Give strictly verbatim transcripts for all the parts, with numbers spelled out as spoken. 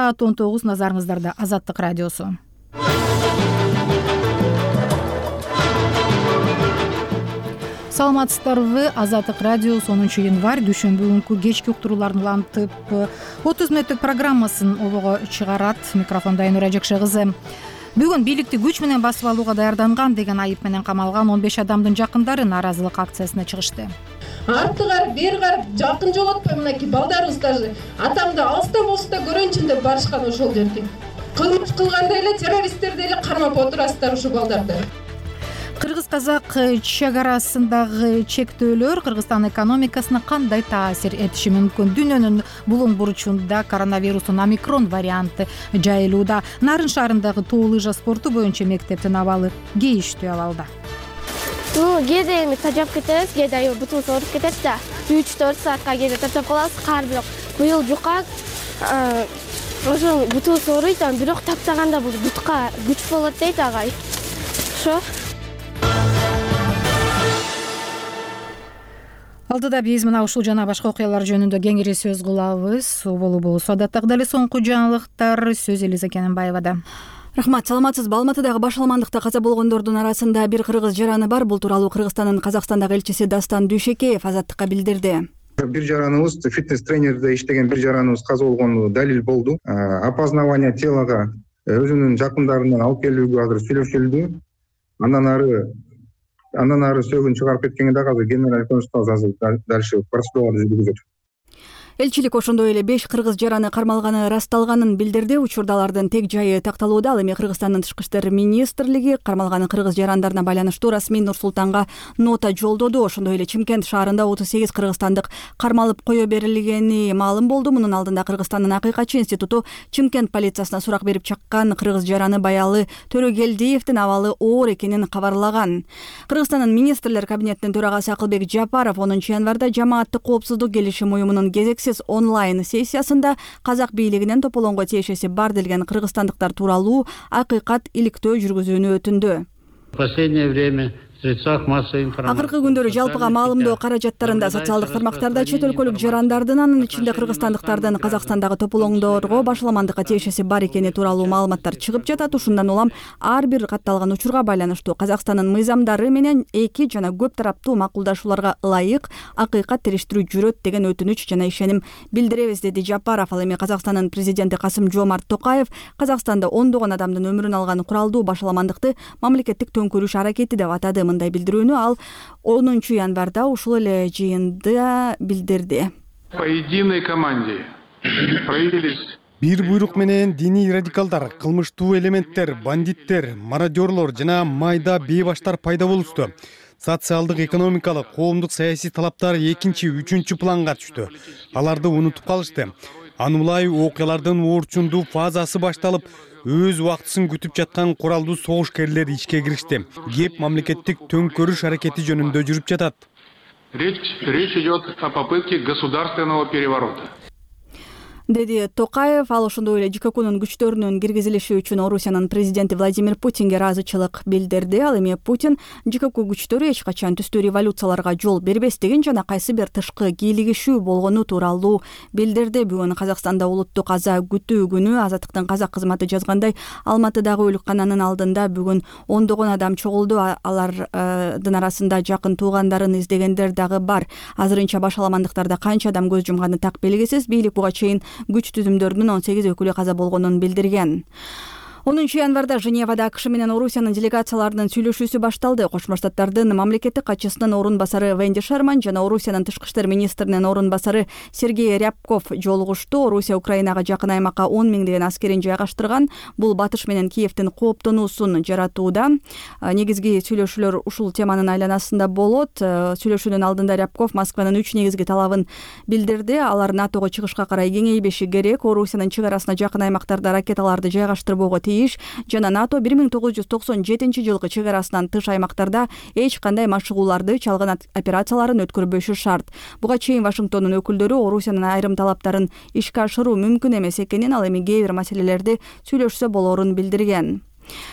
саат он тогуз, назарыңыздарда Азаттык радиосу. Саламатсыздарбы? Азаттык радиосу онунчу январь дүйшөмбү күнкү кечки уктурууларын улантып отуз мүнөттүк программасын обого чыгарат. Микрофонда Айнура Жакшы кызы. Бүгүн бийликти күч менен басып алууга даярданган деген айып менен камалган он беш адамдын жакындары нааразылык акциясына чыгышты. Арты карап, бери карап, жакын жолотпой мынакей балдарыбыз даже атамды алыста болсо да көрөйүнчү деп барышкан ошол жерге. Кылмыш кылганда эле террористтерди эле кармап отурасыздар ушул балдарды. Кыргыз-казак чек арасындагы чектөөлөр Кыргызстан экономикасына кандай таасир этиши мүмкүн? Дүйнөнүн булуң бурчунда коронавирустун омикрон варианты жайылууда. Нарын шаарындагы тоо лыжа спорту боюнча мектептин абалы кейиштүү абалда. Ну, кээде эми тажап кетебиз, кээде аябай бутубуз ооруп кетет да. үч төрт саатка кээде тажап калабыз, кар бирок быйыл жука ошо бутубуз ооруйт, анан бирок таптаганда бул бутка күч болот дейт агай. Ошо. Алдыда биз мына ушул жана башка окуялар жөнүндө кеңири сөз кылабыз. Болуу болсо адаттагы эле соңку жаңылыктар сөз Элиза Кененбаевада. Рахмат, саламатсызбы? Алматыдагы баш алмандыкта каза болгондордун арасында бир кыргыз жараны бар. Бул тууралуу Кыргызстандын Казакстандагы элчиси Дастан Дүйшекеев Азаттыкка билдирди. Бир жараныбыз, фитнес-тренерде иштеген бир жараныбыз каза болгону далил болду. Опознавание телога өзүнүн жакындарынан алып келүүгө азыр сүйлөшүлдү. Андан ары Андан ары сөөгүн чыгарып кеткенге дагы азыр генераль консулдук азыр дальше процедураларды жүргүзөт. Элчилик ошондой эле беш кыргыз жараны кармалганы ырасталганын билдирди. Учурда алардын тег жайы такталууда. Ал эми Кыргызстандын Тышкы иштер министрлиги кармалган кыргыз жарандарына байланыштуу расмий Нур-Султанга нота жолдоду. Ошондой эле Чымкент шаарында отуз сегиз кыргызстандык кармалып кое берилгени маалым болду. Мунун алдында Кыргызстандын Акыйкатчы институту Чымкент полициясына сурак берип чыккан кыргыз жараны Баялы Төрөгелдиевдин абалы оор экенин кабарлаган. Кыргызстандын министрлер кабинетинин төрагасы Акылбек Жапаров онунчу январда жамааттык коопсуздук келишим уюмунун кезексиз онлайн сессиясында казак бийлигинен тополоңго тиешеси бар делген кыргызстандыктар тууралуу акыйкат иликтөө жүргүзүүнү өтүндү. В последнее время Акыркы күндөрү жалпыга маалымдоо каражаттарында социалдык тармактарда чет өлкөлүк жарандардын, анын ичинде кыргызстандыктардын Казакстандагы тополоңдорго башаламандыкка тиешеси бар экени тууралуу маалыматтар чыгып жатат. Ушундан улам ар бир катталган учурга байланыштуу Казакстандын мыйзамдары менен эки жана көп тараптуу макулдашууларга ылайык акыйкат териштирүү жүрөт деген өтүнүч жана ишеним билдиребиз, деди Жапаров. Ал эми Казакстандын президенти Касым-Жомарт Токаев Казакстанда ондогон адамдын өмүрүн алган куралдуу башаламандыкты мамлекеттик төңкөрүш аракети деп атады. Мындай билдирүүнү ал онунчу январда ушул эле жыйында билдирди. По единой команде проявились бир буйрук менен диний радикалдар, кылмыштуу элементтер, бандиттер, мародёрлор жана майда бейбаштар пайда болушту. Социалдык, экономикалык, коомдук саясий талаптар экинчи, үчүнчү планга түштү. Аларды унутуп калышты. Аны улай окуялардын оорчундуу фазасы башталып, өз убактысын күтүп жаткан куралдуу согушкерлер ишке киришти. Кеп мамлекеттик төңкөрүш аракети жөнүндө жүрүп жатат. Речь, речь идет о попытке государственного переворота. Деди Токаев. Ал ошондой эле ЖККнун күчтөрүнүн киргизилиши үчүн Орусиянын президенти Владимир Путинге ыраазычылык билдирди. Ал эми Путин ЖКК күчтөрү эч качан түстүү революцияларга жол бербестигин жана кайсы бир тышкы кийлигишүү болгону тууралуу билдирди. Бүгүн Казакстанда улуттук аза күтүү күнү. Азаттыктын казак кызматы жазгандай, Алматыдагы өлүккананын алдында бүгүн ондогон адам чогулду. Алардын арасында жакын туугандарын издегендер дагы бар. Азырынча башаламандыктарда канча адам көз жумганы так белгисиз. Бийлик буга чейин күч түзүмдөрүнүн он сегиз өкүлү каза болгонун билдирген. онунчу январда Женевада АКШ менен Орусиянын делегацияларынын сүйлөшүүсү башталды. Кошмо Штаттардын мамлекеттик катчысынын орун басары Венди Шерман жана Орусиянын тышкы иштер министринин орун басары Сергей Рябков жолугушту. Орусия Украинага жакын аймакка он миңдеген аскерин жайгаштырган. Бул батыш менен Киевдин кооптонуусун жаратууда. Негизги сүйлөшүүлөр ушул теманын айланасында болот. Сүйлөшүүнүн алдында Рябков Москванын үч негизги талабын билдирди. Алар НАТОго чыгышка карай кеңейбеши керек, Орусиянын чек арасына жакын аймактарда ракеталарды жайгаштырбоого жана НАТО бир миң тогуз жүз токсон жетинчи жылкы чек арасынан тыш аймактарда эч кандай машыгууларды, чалгын операцияларын өткөрбөшү шарт. Буга чейин Вашингтондун өкүлдөрү Орусиянын айрым талаптарын ишке ашыруу мүмкүн эмес экенин, ал эми кээ бир маселелерди сүйлөшсө болорун билдирген.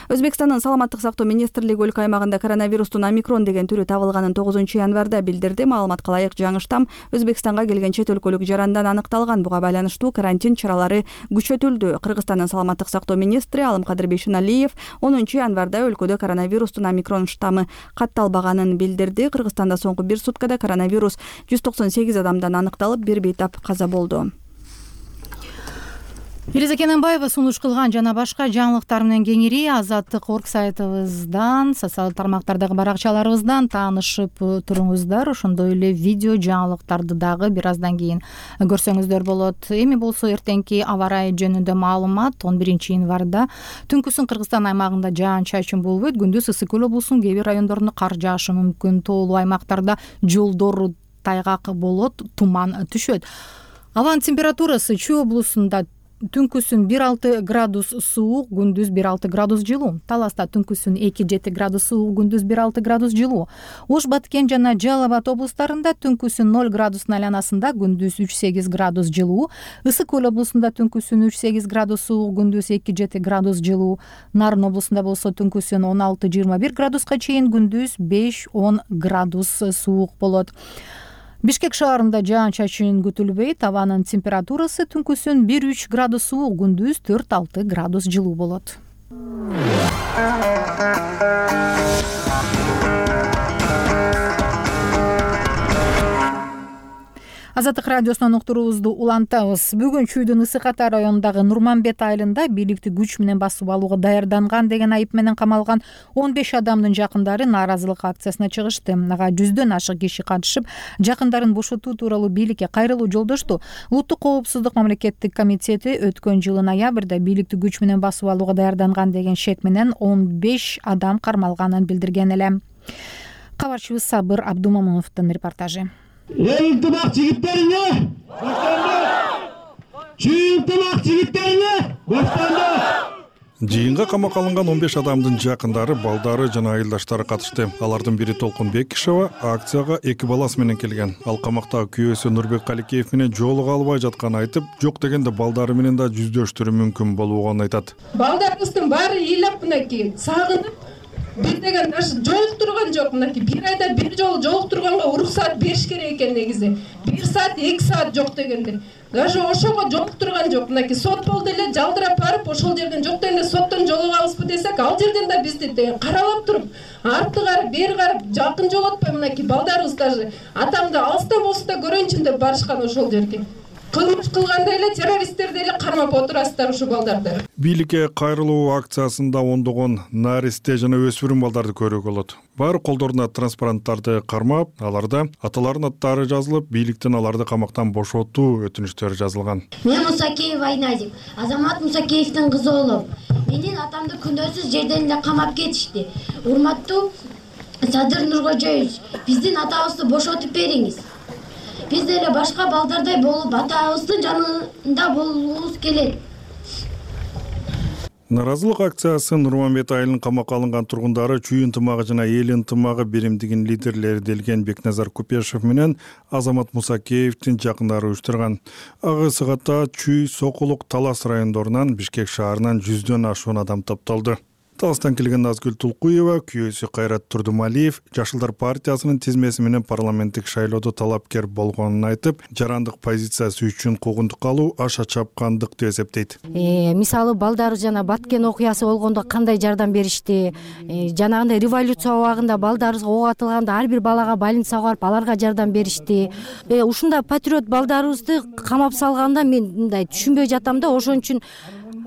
Өзбекстандын саламаттык сактоо министрлиги өлкө аймагында коронавирустун омикрон деген түрү табылганын тогузунчу январда билдирди. Маалыматка ылайык, жаңы штамм Өзбекстанга келген чет өлкөлүк жарандан аныкталган. Буга байланыштуу карантин чаралары күчөтүлдү. Кыргызстандын саламаттык сактоо министри Алымкадыр Бейшеналиев онунчу январда өлкөдө коронавирустун омикрон штаммы катталбаганын билдирди. Кыргызстанда соңку бир суткада коронавирус жүз токсон сегиз адамдан аныкталып, бир бейтап каза болду. Элиза Кененбаева сунуш кылган жана башка жаңылыктар менен кеңири Азаттык орг сайтыбыздан, социалдык тармактардагы баракчаларыбыздан таанышып туруңуздар. Ошондой эле видео жаңылыктарды дагы бир аздан кийин көрсөңүздөр болот. Эми болсо эртеңки аба ырайы жөнүндө маалымат. он биринчи январда түнкүсүн Кыргызстан аймагында жаан-чачын болбойт. Күндүз ысык көл облусунун кээ бир райондорунда кар жаашы мүмкүн. Тоолуу аймактарда жолдор тайгак болот, туман түшөт. Абанын температурасы Чүй облусунда түнкүсүн бир алты градус суук, күндүз бир алты градус жылуу. Таласта түнкүсүн эки жети градус суук, күндүз бир алты градус жылуу. Ош, Баткен жана Жалал Абад облустарында түнкүсүн ноль градустун айланасында, күндүз үч сегиз градус жылуу. Ысык көл облусунда түнкүсүн үч сегиз градус суук, күндүз эки жети градус жылуу. Нарын облусунда болсо түнкүсүн он алты жыйырма бир градуска чейин, күндүз беш он градус суук болот. Бишкек шаарында жаан-чачын күтүлбөйт. Абанын температурасы түнкүсүн бир үч градус суук, күндүз төрт алты градус жылуу болот. Азаттык радиосунан уктуруубузду улантабыз. Бүгүн Чүйдүн Ысык Ата районундагы Нурманбет айылында бийликти күч менен басып алууга даярданган деген айып менен камалган он беш адамдын жакындары нааразылык акциясына чыгышты. Ага жүздөн ашык киши катышып, жакындарын бошотуу тууралуу бийликке кайрылуу жолдошту. Улуттук коопсуздук мамлекеттик комитети өткөн жылы ноябрда бийликти күч менен басып алууга даярданган деген шек менен он беш адам кармалганын билдирген эле. Кабарчыбыз Сабыр Абдумомуновдун репортажы. Эй, ынтымак жигиттериңе! Чүй ынтымак жигиттериңе! Жыйынга камакка алынган он беш адамдын жакындары, балдары жана айылдаштары катышты. Алардын бири Толкун Бекишева акцияга эки баласы менен келген. Ал камактагы күйөөсү Нурбек Каликеев менен жолуга албай жатканын айтып, жок дегенде балдары менен да жүздөштүрүү мүмкүн болуугун айтат. Балдарыбыздын баары ыйлап мынакей сагынып, бир деген даже жолуктурган жок. Мынакей бир айда бир жолу жолуктурганга уруксаат бериш керек экен негизи. бир саат, эки саат жок дегенде. Даже ошого жолуктурган жок. Мынакей сот болду эле, жалдырап барып, ошол жерден жок дегенде соттон жолугабызбы десек, ал жерден да бизди каралап туруп, артты карап, бери карап, жакын жолотпой мынакей балдарыбыз даже атамды алыстан болсо да көрөйүнчү деп барышкан ошол жерге. Кылмыш кылганда эле террористтерди эле кармап отурасыздар ушу балдарды. Бийликке кайрылуу акциясында ондогон наристе жана өспүрүм балдарды көрүүгө болот. Баары колдоруна транспаранттарды кармап, аларда аталарынын аттары жазылып, бийликтен аларды камактан бошотуу өтүнүчтөрү жазылган. Мен Мусакеев Айназик, Азамат Мусакеевдин кызы болом. Менин атамды күнөөсүз жерден эле камап кетишти. Урматтуу Садыр Нуркожоевич, биздин атабызды бошотуп бериңиз. Биз деле башка балдардай болуп, атабыздын жанында болуубуз келет. Наразылык акциясы Нурманбет айылынын камакка алынган тургундары, Чүй ынтымагы жана эл ынтымагы биримдигинин лидерлери делген Бекназар Купешев менен Азамат Мусакеевдин жакындары уюштурган. Ага сыгатта Чүй, Сокулук, Талас райондорунан, Бишкек шаарынан жүздөн ашуун адам топтолду. Таластан келген Назгүл Тулкуева, күйөөсү Кайрат Турдумалиев Жашылдар партиясынын тизмеси менен парламенттик шайлоодо талапкер болгонун айтып, жарандык позициясы үчүн куугунтук алуу аша чапкандык деп эсептейт. Мисалы балдары жана Баткен окуясы болгондо кандай жардам беришти, жанагындай революция убагында балдарыбызга ок атылганда ар бир балага больницага барып аларга жардам беришти. Ушундай патриот балдарыбызды камап салганда мен мындай түшүнбөй жатам да, ошон үчүн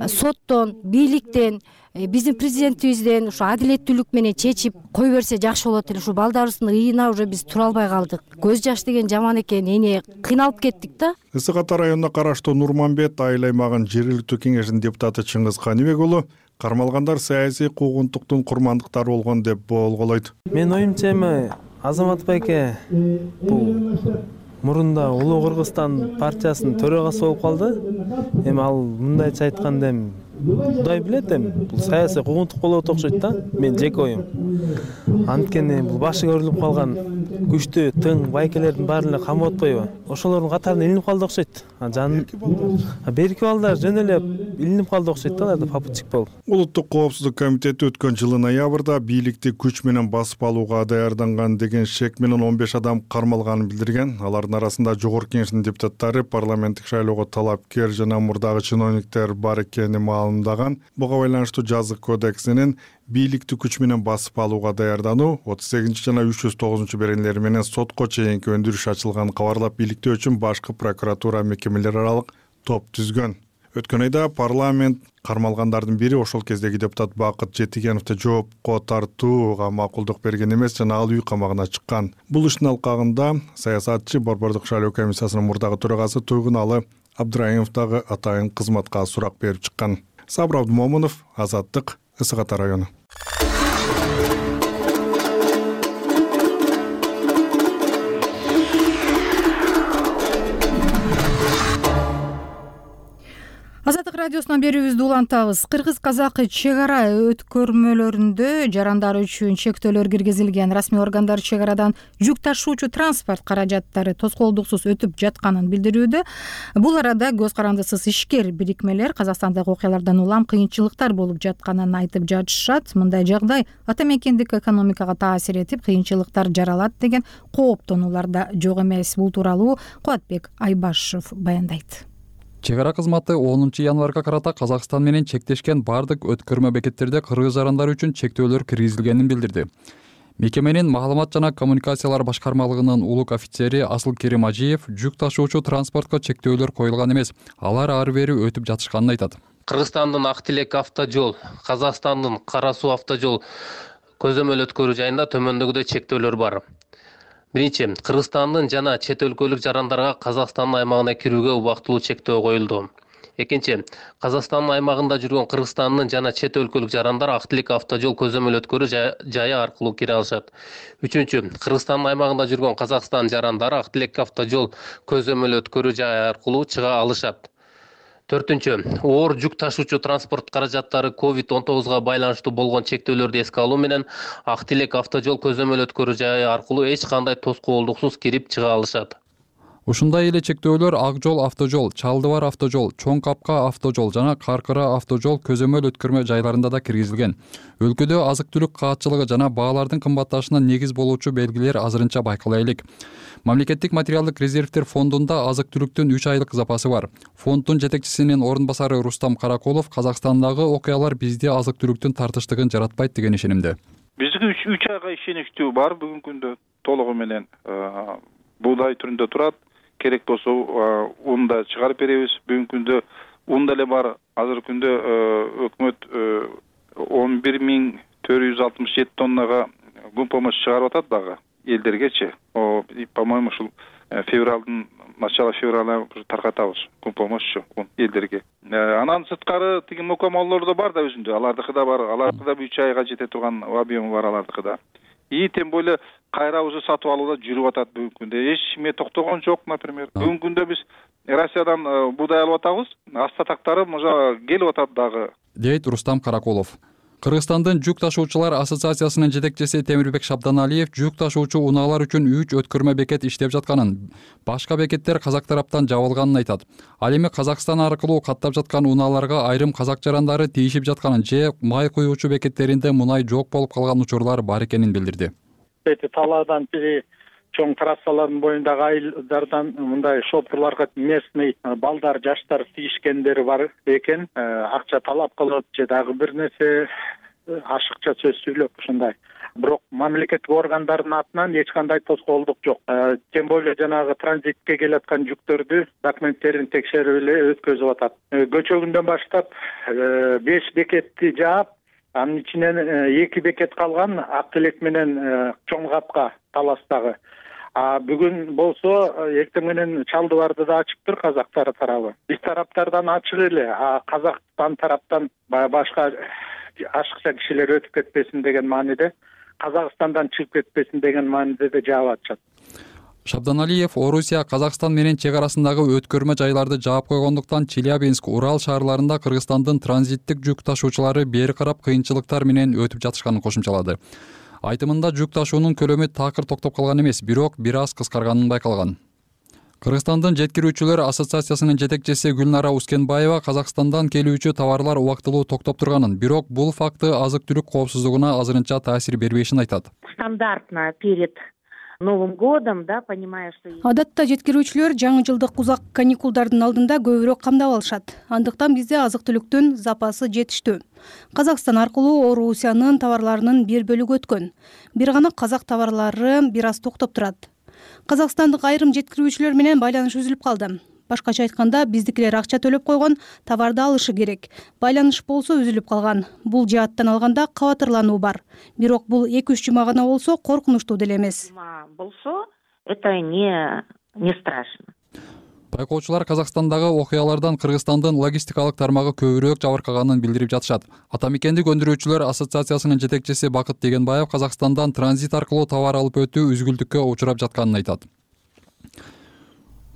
соттон, бийликтен, биздин президентибизден ушу адилеттүүлүк менен чечип кой берсе жакшы болот эле. Ушу балдарыбыздын ыйына уже биз тура албай калдык. Көз жаш деген жаман экен, эне кыйналып кеттик да. Ысык Ата районуна караштуу Нурманбет айыл аймагынын жергиликтүү кеңешинин депутаты Чыңгыз Каныбек уулу кармалгандар саясий куугунтуктун курмандыктары болгон деп болголойт. Мен оюмча эми Азамат байке бул мурунда Улуу Кыргызстан партиясынын төрагасы болуп калды. Эми ал мындайча айтканда эми Кудай билет, эми бул саясий куугунтук болот окшойт да, мен жеке оюм. Анткени бул башы көрүлүп калган күчтүү тың байкелердин баарын эле камап атпайбы, ошолордун катарына илинип калды окшойт. Жан берки балдар жөн эле илинип калды окшойт да, аларда попутчик болуп. Улуттук коопсуздук комитети өткөн жылы ноябрда бийликти күч менен басып алууга даярданган деген шек менен он беш адам кармалганын билдирген. Алардын арасында жогорку кеңештин депутаттары, парламенттик шайлоого талапкер жана мурдагы чиновниктер бар экени маалымдаган. Буга байланыштуу жазык кодексинин бийликти күч менен басып алууга даярдануу отуз сегизинчи жана үч жүз тогузунчу беренелери менен сотко чейинки өндүрүш ачылганын кабарлап, бийликтөө үчүн башкы прокуратура мекемелер аралык топ түзгөн. Өткөн айда парламент кармалгандардын бири ошол кездеги депутат Бакыт Жетигеновду жоопко тартууга макулдук берген эмес жана ал үй камагына чыккан. Бул иштин алкагында саясатчы, Борбордук шайлоо комиссиясынын мурдагы төрагасы Туйгуналы Абдырайымов дагы атайын кызматка сурак берип чыккан. Сабыр Абдымомунов, Азаттык, Ысык Ата району. Азаттык радиосунан берүүбүздү улантабыз. Кыргыз-казак чек ара өткөрмөлөрүндө жарандар үчүн чектөөлөр киргизилген. Расмий органдар чек арадан жүк ташуучу транспорт каражаттары тоскоолдуксуз өтүп жатканын билдирүүдө. Бул арада көз карандысыз ишкер бирикмелер Казакстандагы окуялардан улам кыйынчылыктар болуп жатканын айтып жатышат. Мындай жагдай ата мекендик экономикага таасир этип, кыйынчылыктар жаралат деген кооптонуулар да жок эмес. Бул тууралуу Кубатбек Айбашев баяндайт. Чек ара кызматы онунчу январга карата Казакстан менен чектешкен бардык өткөрмө бекеттерде кыргыз жарандары үчүн чектөөлөр киргизилгенин билдирди. Мекеменин маалымат жана коммуникациялар башкармалыгынын улук офицери Асылкерим Ажиев жүк ташуучу транспортко чектөөлөр коюлган эмес, алар ары бери өтүп жатышканын айтат. Кыргызстандын Ак Тилек автожол, Казакстандын Кара Суу автожол көзөмөл өткөрүү жайында төмөндөгүдөй чектөөлөр бар. Биринчи, Кыргызстандын жана чет өлкөлүк жарандарга Казакстандын аймагына кирүүгө убактылуу чектөө коюлду. Экинчи, Казакстандын аймагында жүргөн Кыргызстандын жана чет өлкөлүк жарандар Ак Тилек автожол көзөмөл өткөрүү жайы аркылуу кире алышат. Үчүнчү, Кыргызстандын аймагында жүргөн Казакстан жарандары Ак Тилек автожол көзөмөл өткөрүү жайы аркылуу чыга алышат. Төртүнчү, оор жүк ташуучу транспорт каражаттары ковид он тогузга байланыштуу болгон чектөөлөрдү эске алуу менен Ак Тилек автожол көзөмөл өткөрүү жайы аркылуу эч кандай тоскоолдуксуз кирип чыга алышат. Ушундай эле чектөөлөр Ак жол автожол, Чалдыбар автожол, Чоң Капка автожол жана Каркыра автожол көзөмөл өткөрмө жайларында да киргизилген. Өлкөдө азык-түлүк каатчылыгы жана баалардын кымбатташына негиз болуучу белгилер азырынча байкала элек. Мамлекеттик материалдык резервдер фондунда азык-түлүктүн үч айлык запасы бар. Фонддун жетекчисинин орун басары Рустам Каракулов Казакстандагы окуялар бизде азык-түлүктүн тартыштыгын жаратпайт деген ишенимде. Бизге үч айга ишеничтүү бар бүгүнкү күндө толугу менен буудай түрүндө турат. Керек болсо ун да чыгарып беребиз. Бүгүнкү күндө ун деле бар. Азыркы күндө өкмөт он бир миң төрт жүз алтымыш жети тоннага гум помощь чыгарып атат дагы элдергечи. О, по-моему, ушул февралдын начало февраля таркатабыз гум помощь элдерге. Анан сырткары тиги мукамаллар да бар да өзүндө. Алардыкы да бар. Алардыкы да үч айга жете турган объему бар алардыкы да. И тем более кайра уже сатып алууда жүрүп атат бүгүнкү күндө. Эч ким токтогон жок, например. Бүгүнкү күндө биз Россиядан буудай алып атабыз. Астатактары мына келип атат дагы. Дейт Рустам Каракулов. Кыргызстандын жүк ташуучулар ассоциациясынын жетекчиси Темирбек Шабданалиев жүк ташуучу унаалар үчүн үч өткөрмө бекет иштеп жатканын, башка бекеттер казак тараптан жабылганын айтат. Ал эми Казакстан аркылуу каттап жаткан унааларга айрым казак жарандары тийишип жатканын же май куюучу бекеттеринде мунай жок болуп калган учурлар бар экенин билдирди. Эти талаадан бери чоң трассалардын боюндагы айылдардан мындай шопурларга местный балдар, жаштар тийишкендери бар экен. Акча талап кылып же дагы бир нерсе ашыкча сөз сүйлөп ушундай. Бирок мамлекеттик органдардын атынан эч кандай тоскоолдук жок. Тем более жанагы транзитке келаткан жүктөрдү документтерин текшерип эле өткөзүп атат. Көчөгүндөн баштап беш бекетти жаап, анын ичинен эки бекет калган Ак Тилек менен Чоң Капка таластагы. А бүгүн болсо эртең менен Чалдыбарды да ачыптыр казактар тарабы. Биз тараптардан ачык эле, а Казакстан тараптан башка ашыкча кишилер өтүп кетпесин деген мааниде, Казакстандан чыгып кетпесин деген мааниде да жаап атышат. Шабданалиев Орусия Казакстан менен чек арасындагы өткөрмө жайларды жаап койгондуктан Челябинск, Урал шаарларында Кыргызстандын транзиттик жүк ташуучулары бери карап кыйынчылыктар менен өтүп жатышканын кошумчалады. Айтымында жүк ташуунун көлөмү такыр токтоп калган эмес, бирок бир аз кыскарганын байкалган. Кыргызстандын жеткирүүчүлөр ассоциациясынын жетекчиси Гүлнара Ускенбаева Казакстандан келүүчү товарлар убактылуу токтоп турганын, бирок бул факты азык-түлүк коопсуздугуна азырынча таасир бербешин айтат. Стандартно перед Новым годом, да, понимая, что... Адатта жеткирүүчүлөр жаңы жылдык узак каникулдардын алдында көбүрөөк камдап алышат. Андыктан бизде азык-түлүктүн запасы жетиштүү. Казакстан аркылуу Орусиянын товарларынын бир бөлүгү өткөн. Бир гана казак товарлары бир аз токтоп турат. Казакстандык айрым жеткирүүчүлөр менен байланыш үзүлүп калды. Башкача айтканда, биздикилер акча төлөп койгон, товарды алышы керек. Байланыш болсо үзүлүп калган. Бул жааттан алганда кабатырлануу бар. Бирок бул эки үч жума гана болсо коркунучтуу деле эмес. Болсо, это не не страшно. Байкоочулар Казакстандагы окуялардан Кыргызстандын логистикалык тармагы көбүрөөк жабыркаганын билдирип жатышат. Ата мекендик өндүрүүчүлөр ассоциациясынын жетекчиси Бакыт Дегенбаев Казакстандан транзит аркылуу товар алып өтүү үзгүлтүккө учурап жатканын айтат.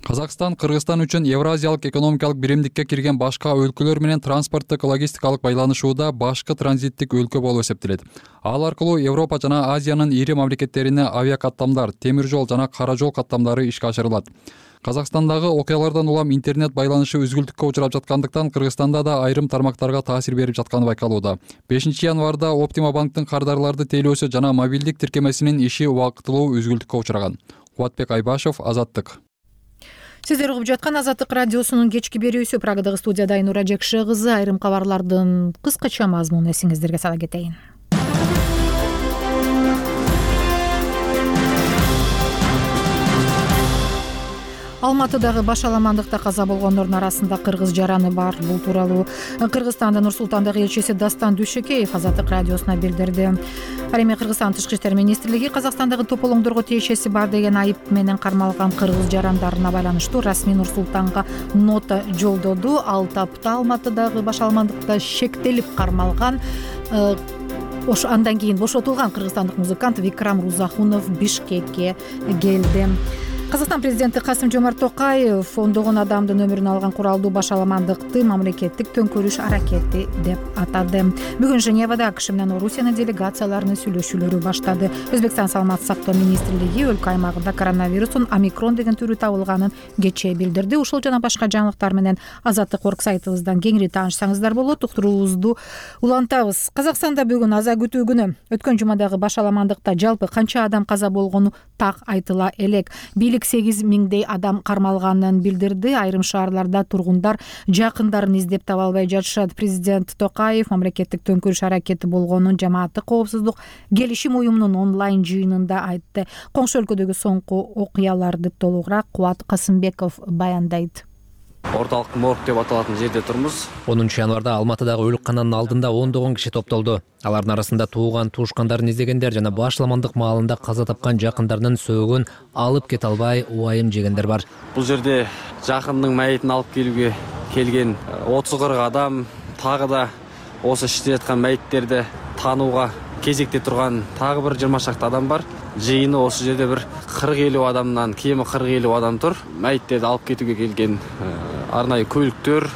Казакстан Кыргызстан үчүн Евразиялык экономикалык биримдикке кирген башка өлкөлөр менен транспорттук логистикалык байланышууда башкы транзиттик өлкө болуп эсептелет. Ал аркылуу Европа жана Азиянын ири мамлекеттерине авиакаттамдар, темир жол жана кара жол каттамдары ишке ашырылат. Казакстандагы окуялардан улам интернет байланышы үзгүлтүккө учурап жаткандыктан Кыргызстанда да айрым тармактарга таасир берип жатканы байкалууда. бешинчи январда Оптима банктын кардарларды тейлөөсү жана мобилдик тиркемесинин иши убактылуу үзгүлтүккө учураган. Кубатбек Айбашев, Азаттык. Сиздер угуп жаткан Азаттык радиосунун кечки берүүсү. Прагадагы студияда Айнура Жекше кызы. Айрым кабарлардын кыскача мазмунун эсиңиздерге сала кетейин. Алматыдагы баш аламандыкта каза болгондордун арасында кыргыз жараны бар. Бул тууралуу Кыргызстандын Нур Султандагы элчиси Дастан Дүйшөкеев Азаттык радиосуна билдирди. Ал эми Кыргызстан Тышкы иштер министрлиги Казакстандагы тополоңдорго тиешеси бар деген айып менен кармалган кыргыз жарандарына байланыштуу расмий Нур Султанга нота жолдоду. Ал тапта Алматыдагы баш аламандыкта шектелип кармалган Ош андан кийин бошотулган кыргызстандык музыкант Викрам Рузахунов Бишкекке келди. Казакстан президенти Касым-Жомарт Токаев ондогон адамдын өмүрүн алган куралдуу баш аламандыкты мамлекеттик төңкөрүш аракети деп атады. Бүгүн Женевада АКШ менен Орусиянын делегацияларынын сүйлөшүүлөрү баштады. Өзбекстан саламаттык сактоо министрлиги өлкө аймагында коронавирустун омикрон деген түрү табылганын кечээ билдирди. Ушул жана башка жаңылыктар менен Азаттык орг сайтыбыздан кеңири таанышсаңыздар болот. Уктуруубузду улантабыз. Казакстанда бүгүн аза күтүү күнү. Өткөн жумадагы баш аламандыкта жалпы канча адам каза болгону так айтыла элек. Бийлик сегиз миңдей адам кармалганын билдирди. Айрым шаарларда тургундар жакындарын издеп таба албай жатышат. Президент Токаев мамлекеттик төңкөрүш аракети болгонун жамааттык коопсуздук келишим уюмунун онлайн жыйынында айтты. Коңшу өлкөдөгү соңку окуяларды толугураак Кубат Касымбеков баяндайт. Орталык морг деп аталатын жерде турмуз. онунчу январда Алматыдагы өлүккананын алдында ондогон киши топтолду. Алардын арасында тууган туушкандарын издегендер жана баш аламандык маалында каза тапкан жакындарынын сөөгүн алып кете албай убайым жегендер бар. Бул жерде жакындын майытын алып келүүгө келген отуз кырк адам, тагы да осы иштеп жаткан майыттерди таанууга кезекте турган тагы бир жыйырма шакты адам бар. Жыйыны осы жерде бир кырк элүү адамдан кеми кырк элүү адам тур. Майыттерди алып кетүүгө келген арнайы көлүктөр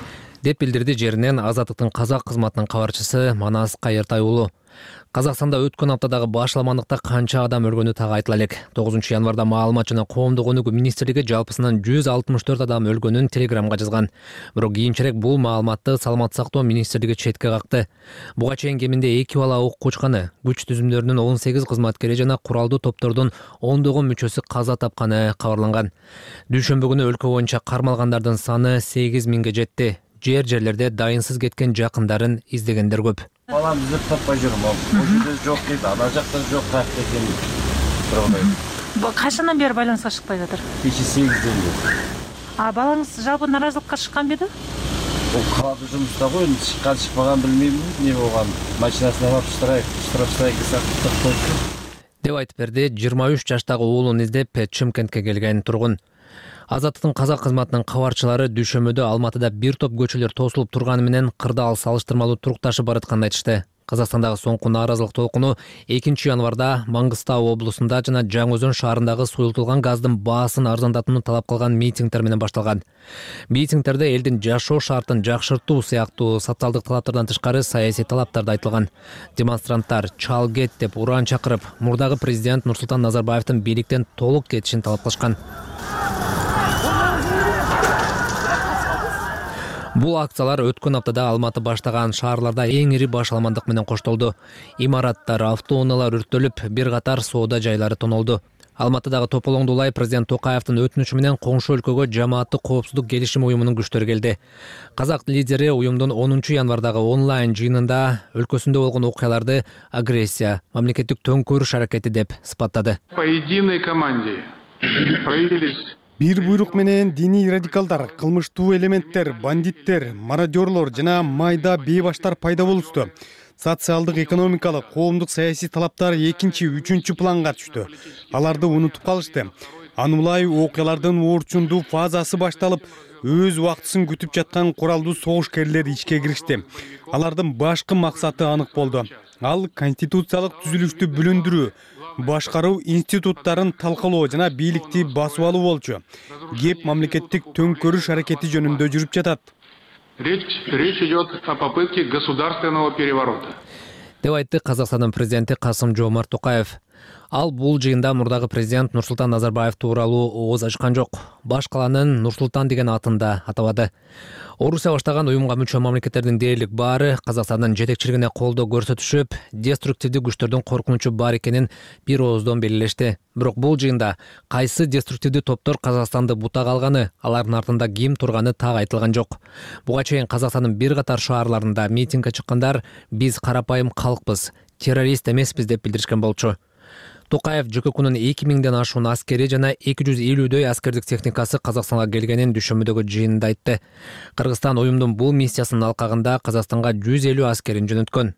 деп билдирди жеринен Азаттыктын казак кызматынын кабарчысы Манас Кайыртай уулу. Казакстанда өткөн аптадагы баш аламандыкта канча адам өлгөнү так айтыла элек. тогузунчу январда маалымат жана коомдук өнүгүү министрлиги жалпысынан жүз алтымыш төрт адам өлгөнүн телеграмга жазган. Бирок кийинчерээк бул маалыматты саламаттык сактоо министрлиги четке какты. Буга чейин кеминде эки бала ок кучканы, күч түзүмдөрүнүн он сегиз кызматкери жана куралдуу топтордун ондогон мүчөсү каза тапканы кабарланган. Дүйшөмбү күнү өлкө боюнча кармалгандардын саны сегиз миңге жетти. Жер жерлерде дайынсыз кеткен жакындарын издегендер көп. Балам издеп таппай жүрүм. Бул жерде жок дейт, ана жакта жок кайыкта экен. Тургандай. Качандан бери байланышка чыкпай жатыр? Кечээ сегизден бери. А балаңыз жалпы наразылыкка чыккан беди? Бул калады жумушта го, эми чыккан чыкпаган билмейм, эмне болгон. Машинасына барып штраф, штраф сактап койду. Деп айтып берди жыйырма үч жаштагы уулун издеп Чымкентке келген тургун. Азаттыктын казак кызматынын кабарчылары Дүйшөмөдө Алматыда бир топ көчөлөр тосулуп турганы менен кырдаал салыштырмалуу турукташып баратканын айтышты. Казакстандагы соңку нааразылык толкуну экинчи январда Маңгыстау облусунда жана Жаңы Өзөн шаарындагы суюлтулган газдын баасын арзандатууну талап кылган митингдер менен башталган. Митингдерде элдин жашоо шартын жакшыртуу сыяктуу социалдык талаптардан тышкары саясий талаптар да айтылган. Демонстранттар чал кет деп уран чакырып, мурдагы президент Нурсултан Назарбаевдин бийликтен толук кетишин талап кылышкан. Бул акциялар өткөн аптада Алматы баштаган шаарларда эң ири башаламандык менен коштолду. Имараттар, автоунаалар өрттөлүп, бир катар соода жайлары тонолду. Алматыдагы Тополоңду улай президент Токаевдин өтүнүчү менен коңшу өлкөгө жамааттык коопсуздук келишими уюмунун күчтөрү келди. Казак лидери уюмдун онунчу январдагы онлайн жыйынында өлкөсүндө болгон окуяларды агрессия, мамлекеттик төңкөрүш аракети деп сыпаттады. По единой команде проявились бир буйрук менен диний радикалдар, кылмыштуу элементтер, бандиттер, мародерлор жана майда бейбаштар пайда болушту. Социалдык, экономикалык, коомдук саясий талаптар экинчи, үчүнчү планга түштү. Аларды унутуп калышты. Аны улай окуялардын орчундуу фазасы башталып, өз убактысын күтүп жаткан куралдуу согушкерлер ишке киришти. Алардын башкы максаты анык болду. Ал конституциялык түзүлүштү бүлүндүрүү, башкаруу институттарын талкалоо жана бийликти басып алуу болчу. Кеп мамлекеттик төңкөрүш аракети жөнүндө жүрүп жатат. Речь, речь идет о попытке государственного переворота. Деп айтты Казакстандын президенти Касым-Жомарт Токаев. Ал бул жыйында мурдагы президент Нурсултан Назарбаев тууралуу ооз ачкан жок. Баш каланын Нурсултан деген атын да атабады. Орусия баштаган уюмга мүчө мамлекеттердин дээрлик баары Казакстандын жетекчилигине колдоо көрсөтүшүп, деструктивдүү күчтөрдүн коркунучу бар экенин бир ооздон белгилешти. Бирок бул жыйында кайсы деструктивдүү топтор Казакстанды бутага алганы, алардын артында ким турганы так айтылган жок. Буга чейин Казакстандын бир катар шаарларында митингге чыккандар биз карапайым калкпыз, террорист эмеспиз деп билдиришкен болчу. Токаев ЖККнун эки миңден ашуун аскери жана эки жүз элүүдөй аскердик техникасы Казакстанга келгенин дүйшөмбүдөгү жыйында айтты. Кыргызстан уюмдун бул миссиясынын алкагында Казакстанга жүз элүү аскерин жөнөткөн.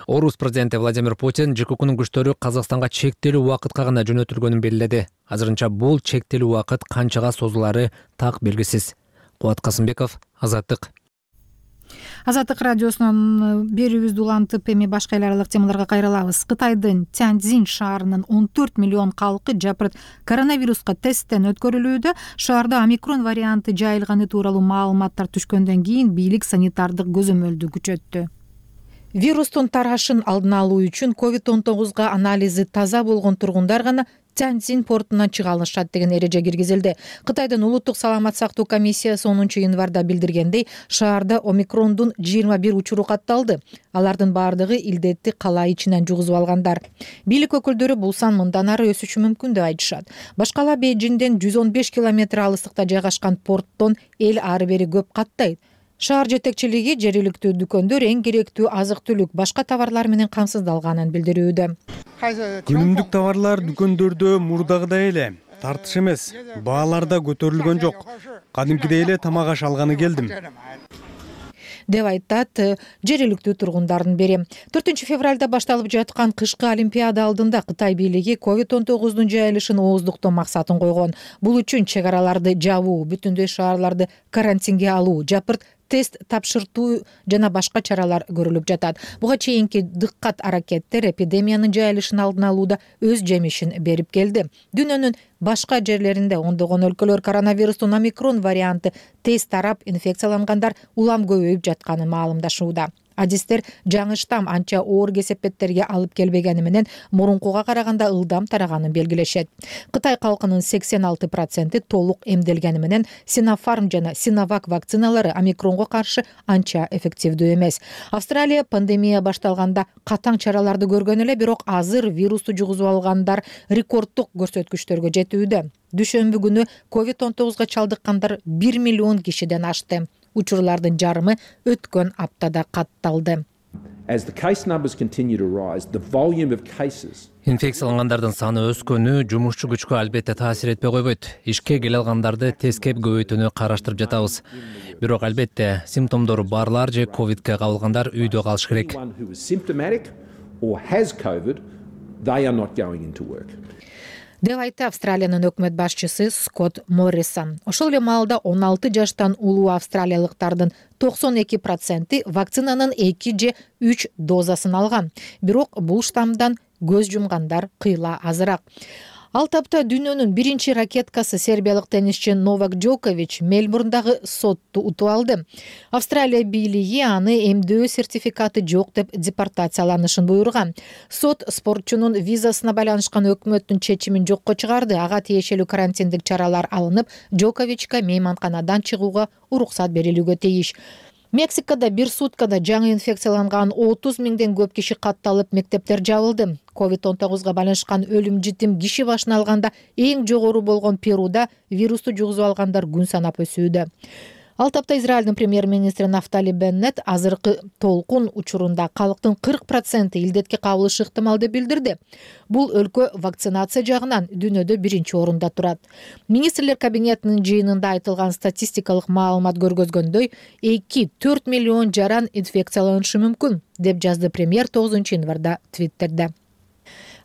Орус президенти Владимир Путин ЖККнун күчтөрү Казакстанга чектелүү убакытка гана жөнөтүлгөнүн белгиледи. Азырынча бул чектелүү убакыт канчага созулары так белгисиз. Кубат Касымбеков, Азаттык. Азаттык радиосунун берүүбүздү улантып, эми башка эл аралык темаларга кайрылабыз. Кытайдын Тяньцзин шаарынын он төрт миллион калкы жапырт коронавируска тесттен өткөрүлүүдө. Шаарда омикрон варианты жайылганы тууралуу маалыматтар түшкөндөн кийин бийлик санитардык көзөмөлдү күчөттү. Вирустун тарашын алдын алуу үчүн ковид он тогузга анализи таза болгон тургундар гана Тяньцзин портунан чыга алышат деген эреже киргизилди. Кытайдын улуттук саламат сактоо комиссиясы онунчу январда билдиргендей, шаарда омикрондун жыйырма бир учуру катталды. Алардын баардыгы илдетти кала ичинен жугузуп алгандар. Бийлик өкүлдөрү бул сан мындан ары өсүшү мүмкүн деп айтышат. Башкала Бейжиңден жүз он беш километр алыстыкта жайгашкан порттон эл ары бери көп каттайт. Шаар жетекчилиги жергиликтүү дүкөндөр эң керектүү азык-түлүк, башка товарлар менен камсыздалганын билдирүүдө. Күнүмдүк товарлар дүкөндөрдө мурдагыдай эле тартыш эмес, баалар да көтөрүлгөн жок. Кадимкидей эле тамак аш алганы келдим, деп айтат жергиликтүү тургундардын бири. төртүнчү февралда башталып жаткан кышкы олимпиада алдында Кытай бийлиги ковид он тогуздун жайылышын ооздуктоо максатын койгон. Бул үчүн чек араларды жабуу, бүтүндөй шаарларды карантинге алуу, жапырт тест тапшыртуу жана башка чаралар көрүлүп жатат. Буга чейинки дыккат аракеттер эпидемиянын жайылышын алдын алууда өз жемишин берип келди. Дүйнөнүн башка жерлеринде ондогон өлкөлөр коронавирустун омикрон варианты тез тарап, инфекциялангандар улам көбөйүп жатканын маалымдашууда. Адистер жаңы штамм анча оор кесепеттерге алып келбегени менен мурункуга караганда ылдам тараганын белгилешет. Кытай калкынын сексен алты проценти толук эмделгени менен Sinopharm жана Sinovac вакциналары омикронго каршы анча эффективдүү эмес. Австралия пандемия башталганда катаң чараларды көргөн эле, бирок азыр вирусту жугузуп алгандар рекорддук көрсөткүчтөргө жетүүдө. Дүшөмбү күнү ковид он тогузга чалдыккандар бир миллион кишиден ашты. Учурлардын жарымы өткөн аптада катталды. Инфекциялангандардын саны өскөнү жумушчу күчкө албетте таасир этпей койбойт. Ишке келе алгандарды тескеп көбөйтүүнү караштырып жатабыз. Бирок албетте симптомдору барлар же ковидке кабылгандар үйдө калыш керек. деп айтты Австралиянын өкмөт башчысы Скотт Моррисон. Ошол эле маалда он алты жаштан улуу австралиялыктардын токсон эки проценти вакцинанын эки же үч дозасын алган. Бирок бул штаммдан көз жумгандар кыйла азыраак. Ал тапта дүйнөнүн биринчи ракеткасы сербиялык теннисчи Новак Джокович Мельбурндагы сотту утуп алды. Австралия бийлиги аны эмдөө сертификаты жок деп депортацияланышын буйруган. Сот спортчунун визасына байланышкан өкмөттүн чечимин жокко чыгарды. Ага тиешелүү карантиндик чаралар алынып, Джоковичке мейманканадан чыгууга уруксат берилүүгө тийиш. Мексикада бир суткада жаңы инфекцияланган отуз миңден көп киши катталып, мектептер жабылды. ковид он тогузга байланышкан өлүм житим киши башына алганда эң жогору болгон Перуда вирусту жугузуп алгандар күн санап өсүүдө. Ал тапта Израилдин премьер-министри Нафтали Беннет азыркы толкун учурунда калктын кырк проценти илдетке кабылышы ыктымал деп билдирди. Бул өлкө вакцинация жагынан дүйнөдө биринчи орунда турат. Министрлер кабинетинин жыйынында айтылган статистикалык маалымат көргөзгөндөй, эки төрт миллион жаран инфекцияланышы мүмкүн, деп жазды премьер тогузунчу январда Твиттерде.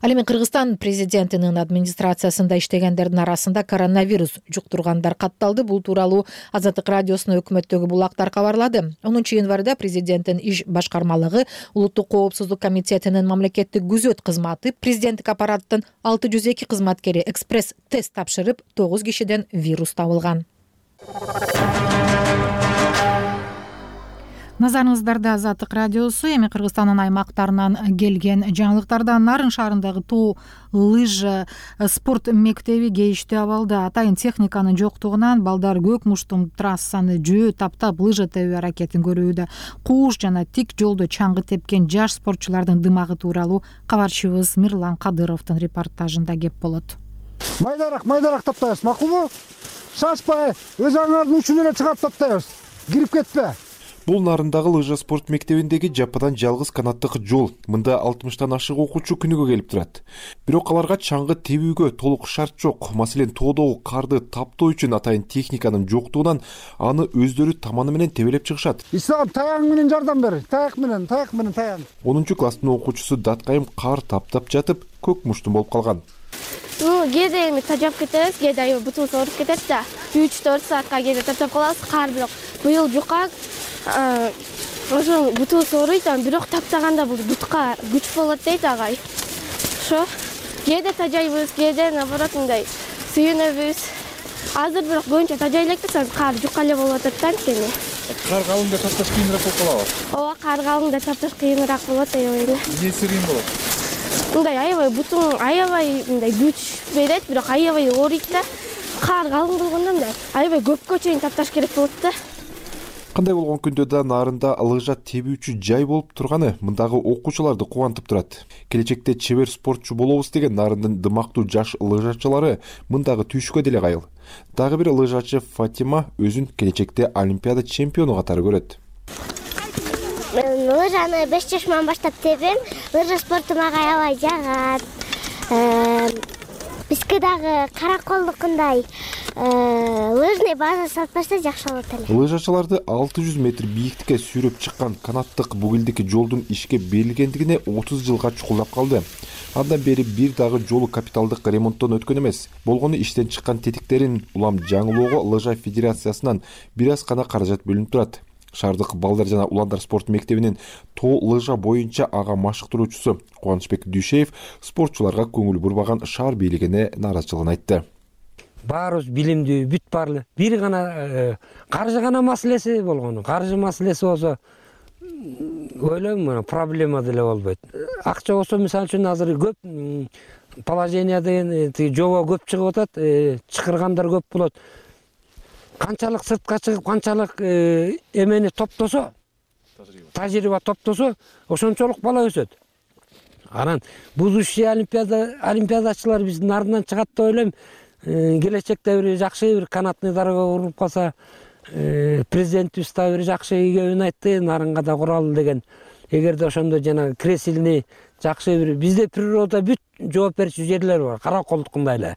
Ал эми Кыргызстан президентинин администрациясында иштегендердин арасында коронавирус жуктургандар катталды. Бул тууралуу Азаттык радиосуна өкмөттөгү булактар кабарлады. онунчу январда президенттин иш башкармалыгы Улуттук коопсуздук комитетинин мамлекеттик күзөт кызматы президенттик аппараттын алты жүз эки кызматкери экспресс тест тапшырып, тогуз кишиден вирус табылган. Назарыңыздарда Азаттык радиосу. Эми Кыргызстандын аймактарынан келген жаңылыктарда Нарын шаарындагы тоо лыжа спорт мектеби кейиштүү абалда. Атайын техниканын жоктугунан балдар көк муштум трассаны жөө таптап лыжа тебүү аракетин көрүүдө. Кууш жана тик жолдо чаңгы тепкен жаш спортчулардын дымагы тууралуу кабарчыбыз Мирлан Кадыровдун репортажында кеп болот. Майдараак, майдараак таптайбыз, макулбу? Шашпай, өз аңардын учун эле чыгап таптайбыз. Кирип кетпе. Бул Нарындагы лыжа спорт мектебиндеги жападан жалгыз канаттык жол. Мында алтымыштан ашык окуучу күнүгө келип турат. Бирок аларга чаңгы тебүүгө толук шарт жок. Маселен, тоодогу карды таптоо үчүн атайын техниканын жоктугунан аны өздөрү таманы менен тебелеп чыгышат. Ислам, таяң менен жардам бер. Таяк менен, таяк менен таян. онунчу класстын окуучусу Даткайым кар таптап жатып, көк муштум болуп калган. Ну, кээде эми тажап кетебиз, кээде аябай бутубуз ооруп кетет да. үч төрт саатка кээде таптап калабыз, кар бирок быйыл жука. Ошо бутубуз ооруйт, бирок таптаганда бул бутка күч болот дейт агай. Ошо кээде тажайбыз, кээде наоборот мындай сүйүнөбүз. Азыр бирок көбүнчө тажай элекпиз, кар жука эле болуп атат да анткени. Кар калыңда тапташ кыйыныраак болуп калабы? Ооба, кар калыңда тапташ кыйыныраак болот аябай. Эмнеси кыйын болот? Мындай аябай бутуң аябай мындай күч берет, бирок аябай ооруйт да. Кар калың болгондо мындай аябай көпкө чейин тапташ керек болот да. Кандай болгон күндө да Нарында лыжа тебүүчү жай болуп турганы мындагы окуучуларды кубантып турат. Келечекте чебер спортчу болобуз деген Нарындын дымактуу жаш лыжачылары мындагы түйшүккө деле кайыл. Дагы бир лыжачы Фатима өзүн келечекте олимпиада чемпиону катары көрөт. Мен лыжаны беш жашыман баштап тебем. Лыжа спорту мага аябай жагат. Бизге дагы караколдукундай лыжный база салып берсе жакшы болот эле. Лыжачыларды алты жүз метр бийиктикке сүйрөп чыккан канаттык бугилдики жолдун ишке берилгендигине отуз жылга чукулдап калды. Андан бери бир дагы жолу капиталдык ремонттон өткөн эмес. Болгону иштен чыккан тетиктерин улам жаңылоого лыжа федерациясынан бир аз гана каражат бөлүнүп турат. Шаардык балдар жана уландар спорт мектебинин тоо лыжа боюнча ага машыктыруучусу Кубанычбек Дүйшеев спортчуларга көңүл бурбаган шаар бийлигине нааразычылыгын айтты. Баарыбыз билимдүү, бүт баарлы. Бир гана каржы гана маселеси болгону. Каржы маселеси болсо ойлойм, проблема деле болбойт. Акча болсо, мисалы үчүн азыр көп положение деген жобо көп чыгып атат, чакыргандар көп болот. Канчалык сыртка чыгып, канчалык эмени топтосо, тажрыйба топтосо, ошончолук бала өсөт. Анан будущий олимпиада олимпиадачылар биздин Нарындан чыгат деп ойлойм. Келечекте бир жакшы бир канатный дорога куруп калса, президентибиз да бир жакшы ийгебин айтты, Нарынга да куралы деген. Эгерде ошондо жана кресилни жакшы бир бизде природа бүт жооп берчү жерлер бар, караколдукундай эле.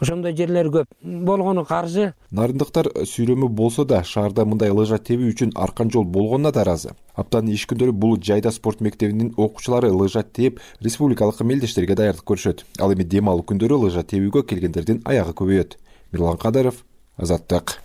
ошондой жерлер көп болгону каржы. Нарындыктар сүйлөмү болсо да шаарда мындай лыжа тебүү үчүн аркан жол болгонуна таразы. Аптанын иш күндөрү бул жайда спорт мектебинин окуучулары лыжа тээп республикалык мелдештерге даярдык көрүшөт. Ал эми дем алуу күндөрү лыжа тебүүгө келгендердин аягы көбөйөт. Мирлан Кадыров, Азаттык.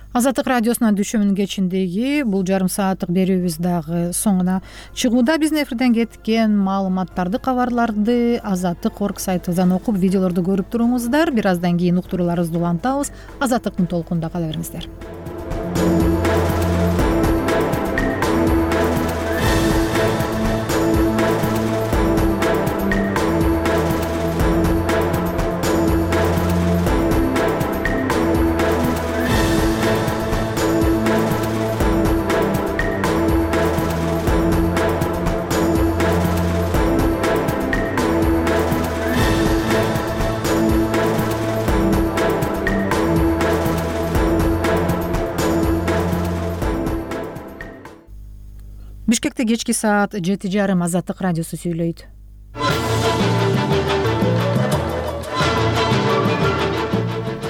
Азаттык радиосунун дүшөмүнүн кечиндеги бул жарым сааттык берүүбүз дагы соңуна чыгууда. Биздин эфирден кеткен маалыматтарды, кабарларды азаттык точка орг сайтыбыздан окуп, видеолорду көрүп туруңуздар. Бир аздан кийин уктурууларыбызды улантабыз. Азаттыктын толкунунда кала бериңиздер. Бишкекте кечки саат жети жарым. Азаттык радиосу сүйлөйт.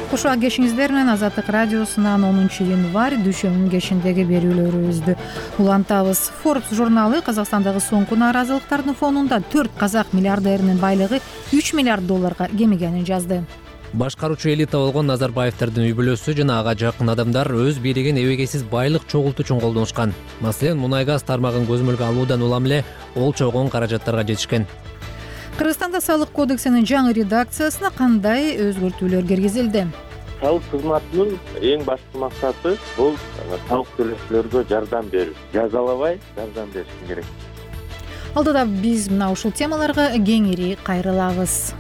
Кошо кешиңиздер менен Азаттык радиосунан онунчу январь дүшөмүнүн кечиндеги берүүлөрүбүздү улантабыз. Forbes журналы Казакстандагы соңку нааразылыктардын фонунда төрт казак миллиардеринин байлыгы үч миллиард долларга кемигенин жазды. Башкаруучу элита болгон Назарбаевдин үй бүлөсү жана ага жакын адамдар өз бийлигин эбегейсиз байлык чогултуу үчүн колдонушкан. Маселен, мунай газ тармагын көзөмөлгө алуудан улам эле ол чогон каражаттарга жетишкен. Кыргызстанда салык кодексинин жаңы редакциясына кандай өзгөртүүлөр киргизилди? Салык кызматынын эң башкы максаты бул салык төлөөчүлөргө жардам берүү, жазалабай жардам бериш керек. Алдыда биз мына ушул темаларга кеңири кайрылабыз.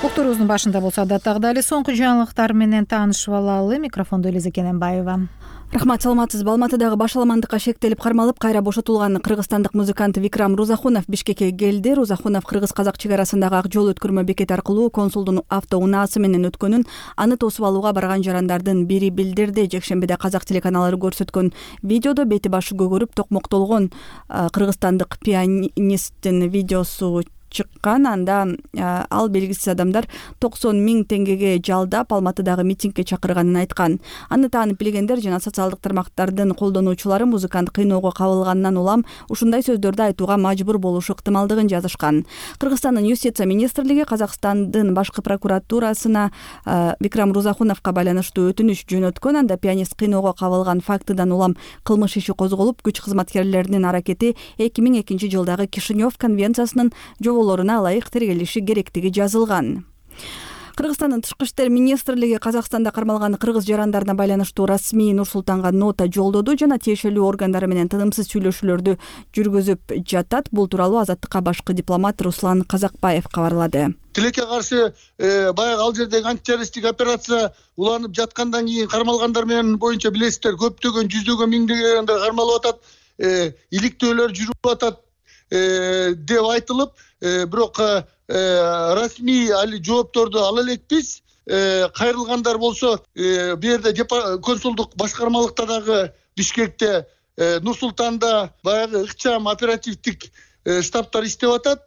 Уктуруубуздун башында болсо адаттагыдай эле соңку жаңылыктар менен таанышып алалы. Микрофондо Элиза Кененбаева. Рахмат, саламатсызбы. Алматыдагы башаламандыкка шектелип кармалып кайра бошотулган кыргызстандык музыкант Викрам Рузахунов Бишкекке келди. Рузахунов кыргыз-казак чек арасындагы ак жол өткөрмө бекети аркылуу консулдун автоунаасы менен өткөнүн, аны тосуп алууга барган жарандардын бири билдирди. Жекшембиде казак телеканалдары көрсөткөн видеодо бети башы көгөрүп токмоктолгон кыргызстандык пианисттин видеосу чыккан. Анда ал белгисиз адамдар токсон миң теңгеге жалдап Алматыдагы митингге чакырганын айткан. Аны таанып билгендер жана социалдык тармактардын колдонуучулары музыкант кыйноого кабылгандан улам ушундай сөздөрдү айтууга мажбур болушу ыктымалдыгын жазышкан. Кыргызстандын юстиция министрлиги Казакстандын башкы прокуратурасына Викрам Рузахуновго байланыштуу өтүнүч жөнөткөн. Анда пианист кыйноого кабылган фактыдан улам кылмыш иши козголуп, күч кызматкерлеринин аракети эки миң экинчи жылдагы Кишинев конвенциясынын жоболоруна ылайык тергелиши керектиги жазылган. Кыргызстандын тышкы иштер министрлиги Казакстанда кармалган кыргыз жарандарына байланыштуу расмий Нур-Султанга нота жолдоду жана тиешелүү органдары менен тынымсыз сүйлөшүүлөрдү жүргүзүп жатат. Бул тууралуу Азаттыкка башкы дипломат Руслан Казакбаев кабарлады. Тилекке каршы баягы ал жердеги антитеррористтик операция уланып жаткандан кийин кармалгандар менен боюнча билесиздер, көптөгөн жүздөгөн миңдеген кармалып атат, иликтөөлөр жүрүп атат деп айтылып, бирок расмий али жоопторду ала элекпиз. Кайрылгандар болсо бу жерде консулдук башкармалыкта дагы Бишкекте, Нур-Султанда баягы ыкчам оперативдик штабтар иштеп атат,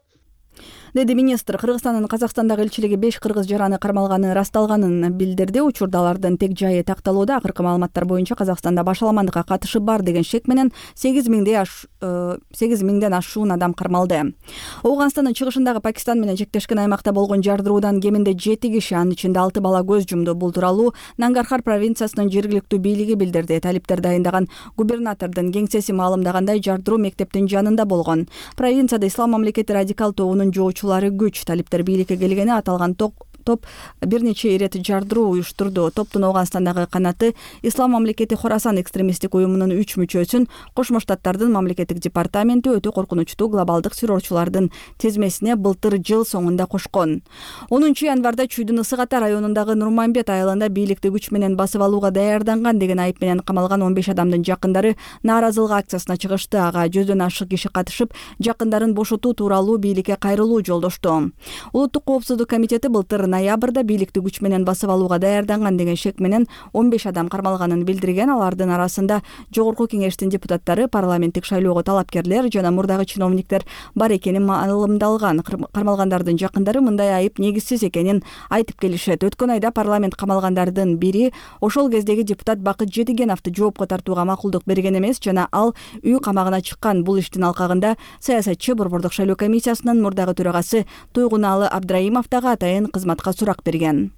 деди министр. Кыргызстандын Казакстандагы элчилиги беш кыргыз жараны кармалганы расталганын билдирди. Учурда алардын тек жайы такталууда. Акыркы маалыматтар боюнча Казакстанда башаламандыкка катышы бар деген шек менен сегиз миңден ашуун адам кармалды. Ооганстандын чыгышындагы Пакистан менен чектешкен аймакта болгон жардыруудан кеминде жети киши, анын ичинде алты бала көз жумду. Бул тууралуу Нангархар провинциясынын жергиликтүү бийлиги билдирди. Талиптер дайындаган губернатордун кеңсеси маалымдагандай, жардыруу мектептин жанында болгон. Провинцияда Ислам мамлекети радикал тобунун жоочу күч. Талиптер бийликке келгени аталган топ бир нече ирет жардыруу уюштурду. Топтун Ооганстандагы канаты Ислам мамлекети Хорасан экстремисттик уюмунун үч мүчөсүн Кошмо Штаттардын мамлекеттик департаменти өтө коркунучтуу глобалдык террорчулардын тизмесине былтыр жыл соңунда кошкон. онунчу январда Чүйдүн Ысык Ата районундагы Нурманбет айылында бийликти күч менен басып алууга даярданган деген айып менен камалган он беш адамдын жакындары нааразылык акциясына чыгышты. Ага жүздөн ашык киши катышып, жакындарын бошотуу тууралуу бийликке кайрылуу жолдошту. Улуттук коопсуздук комитети былтыр ноябрда бийликти күч менен басып алууга даярданган деген шек менен он беш адам кармалганын билдирген. Алардын арасында жогорку кеңештин депутаттары, парламенттик шайлоого талапкерлер жана мурдагы чиновниктер бар экени маалымдалган. Кармалгандардын жакындары мындай айып негизсиз экенин айтып келишет. Өткөн айда парламент камалгандардын бири ошол кездеги депутат Бакыт Жетигеновду жоопко тартууга макулдук берген эмес жана ал үй камагына чыккан. Бул иштин алкагында саясатчы Борбордук шайлоо комиссиясынын мурдагы төрагасы Туйгуналы Абдрайымов дагы атайын кызматка сурак берген.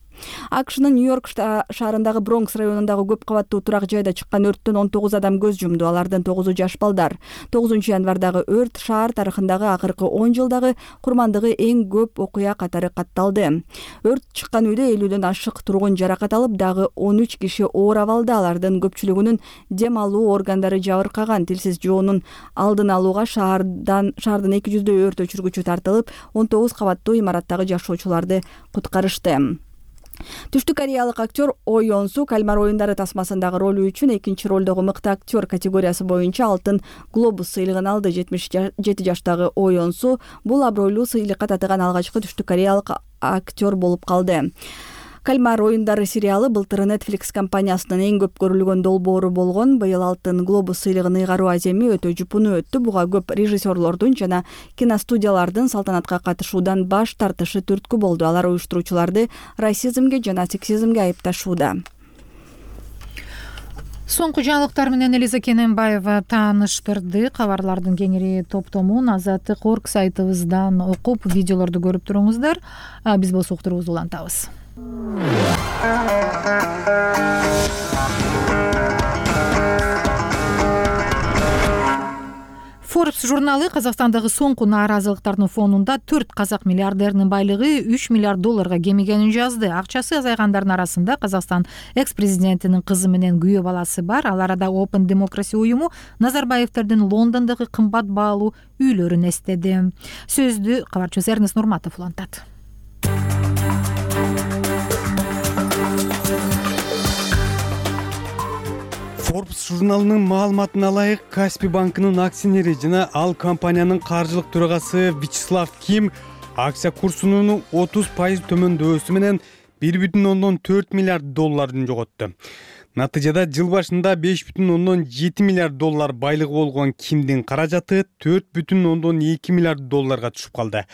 АКШнын Нью-Йорк шаарындагы Бронкс районундагы көп кабаттуу турак жайда чыккан өрттөн он тогуз адам көз жумду. Алардын тогузу жаш балдар. тогузунчу январдагы өрт шаар тарыхындагы акыркы он жылдагы курмандыгы эң көп окуя катары катталды. Өрт чыккан үйдө элүүдөн ашык тургун жаракат алып, дагы он үч киши оор абалда. Алардын көпчүлүгүнүн дем алуу органдары жабыркаган. Тилсиз жоонун алдын алууга шаардан шаардын эки жүздөй өрт өчүргүчү тартылып, он тогуз кабаттуу имараттагы жашоочуларды куткарышты. Түштүк кореялык актер О Йон Су Кальмар оюндары тасмасындагы ролу үчүн экинчи ролдогу мыкты актер категориясы боюнча алтын глобус сыйлыгын алды. жетимиш жети жаштагы О Йон Су бул абройлуу сыйлыкка татыган алгачкы түштүк кореялык актер болуп калды. Кальмар оюндары сериалы былтыр Netflix компаниясынын эң көп көрүлгөн долбоору болгон. Быйыл алтын глобус сыйлыгын ыйгаруу аземи өтө жупуну өттү. Буга көп режиссерлордун жана киностудиялардын салтанатка катышуудан баш тартышы түрткү болду. Алар уюштуруучуларды расизмге жана сексизмге айыпташууда. Соңку жаңылыктар менен Элиза Кененбаева тааныштырды. Кабарлардын кеңири топтомун Азаттык орг сайтыбыздан окуп, видеолорду көрүп туруңуздар. Биз болсо уктурубузду улантабыз. Forbes журналы Казакстандагы соңку нааразылыктардын фонунда төрт казак миллиардеринин байлыгы үч миллиард долларга кемигенин жазды. Акчасы азайгандардын арасында Казакстан экс-президентинин кызы менен күйөө баласы бар. Ал арада Open Democracy уюму Назарбаевтердин Лондондогу кымбат баалуу үйлөрүн эстеди. Сөздү кабарчыбыз Эрнест Нурматов улантат. Forbes журналынын маалыматына ылайык, Каспий банкынын акционери жана ал компаниянын каржылык төрагасы Вячеслав Ким акция курсунун отуз пайыз төмөндөсү менен бир бүтүн ондон төрт миллиард долларын жоготту. Натыйжада жыл башында беш бүтүн ондон жети миллиард доллар байлыгы болгон Кимдин каражаты төрт бүтүн ондон эки миллиард долларга түшүп калды.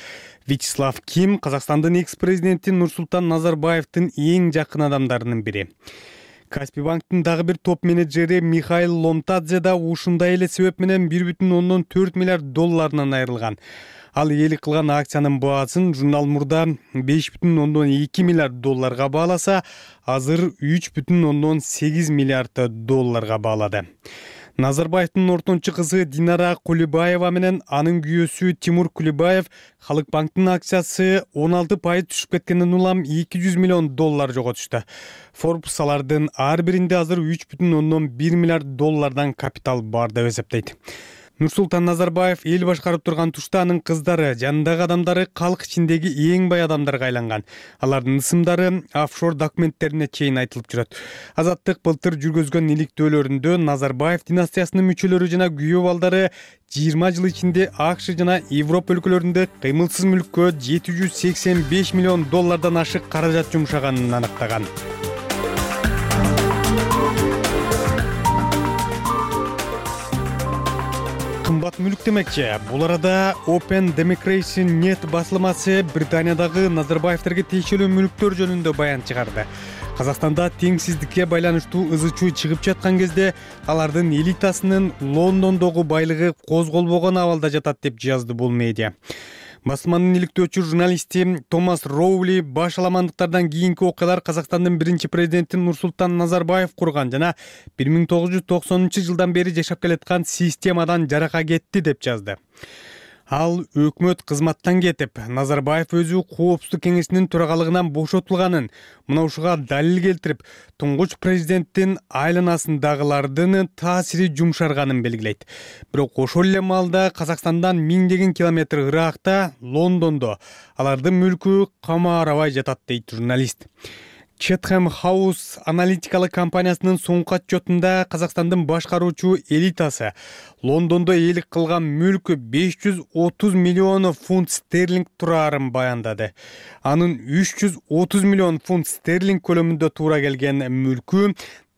Вячеслав Ким Казакстандын экс-президенти Нурсултан Назарбаевдин эң жакын адамдарынын бири. Каспий банктын дагы бир топ менеджери Михаил Ломтадзе да ушундай эле себеп менен бир бүтүн ондон төрт миллиард долларынан айрылган. Ал ээлик кылган акциянын баасын журнал мурда беш бүтүн ондон эки миллиард долларга бааласа, азыр үч бүтүн ондон сегиз миллиард долларга баалады. Назарбаевдин ортончу кызы Динара Кулибаева менен анын күйөөсү Тимур Кулибаев Халык банктын акциясы он алты пайыз түшүп кеткенден улам эки жүз миллион доллар жоготушту. Forbes алардын ар биринде азыр үч бүтүн ондон бир миллиард доллардан капитал бар деп эсептейт. Нурсултан Назарбаев эл башкарып турган тушта анын кыздары, жанындагы адамдары калк ичиндеги эң бай адамдарга айланган. Алардын ысымдары офшор документтерине чейин айтылып жүрөт. Азаттык былтыр жүргөзгөн иликтөөлөрүндө Назарбаев династиясынын мүчөлөрү жана күйөө балдары жыйырма жыл ичинде АКШ жана Европа өлкөлөрүндө кыймылсыз мүлккө жети жүз сексен беш миллион доллардан ашык каражат жумшаганын аныктаган. Кымбат мүлк демекчи. Бул арада Open Democracy Net басылмасы Британиядагы Назарбаевтерге тиешелүү мүлктөр жөнүндө баян чыгарды. Казакстанда теңсиздикке байланыштуу ызы-чуу чыгып жаткан кезде алардын элитасынын Лондондогу байлыгы козголбогон абалда жатат деп жазды бул медиа. Басылманын иликтөөчү журналисти Томас Роули баш аламандыктардан кийинки окуялар Казакстандын биринчи президенти Нурсултан Назарбаев курган жана бир миң тогуз жүз токсонунчу жылдан бери жашап келаткан системадан жарака кетти деп жазды. Ал өкмөт кызматтан кетип, Назарбаев өзү коопсуздук кеңешинин төрагалыгынан бошотулганын, мына ушуга далил келтирип, туңгуч президенттин айланасындагылардын таасири жумшарганын белгилейт. Бирок ошол эле маалда Казакстандан миңдеген километр ыракта, Лондондо алардын мүлкү кама арабай жатат дейт журналист. Chatham House аналитикалык компаниясынын соңку отчетунда Казакстандын башкаруучу элитасы Лондондо ээлик кылган мүлкү беш жүз отуз миллион фунт стерлинг тураарын баяндады. Анын үч жүз отуз миллион фунт стерлинг көлөмүндө туура келген мүлкү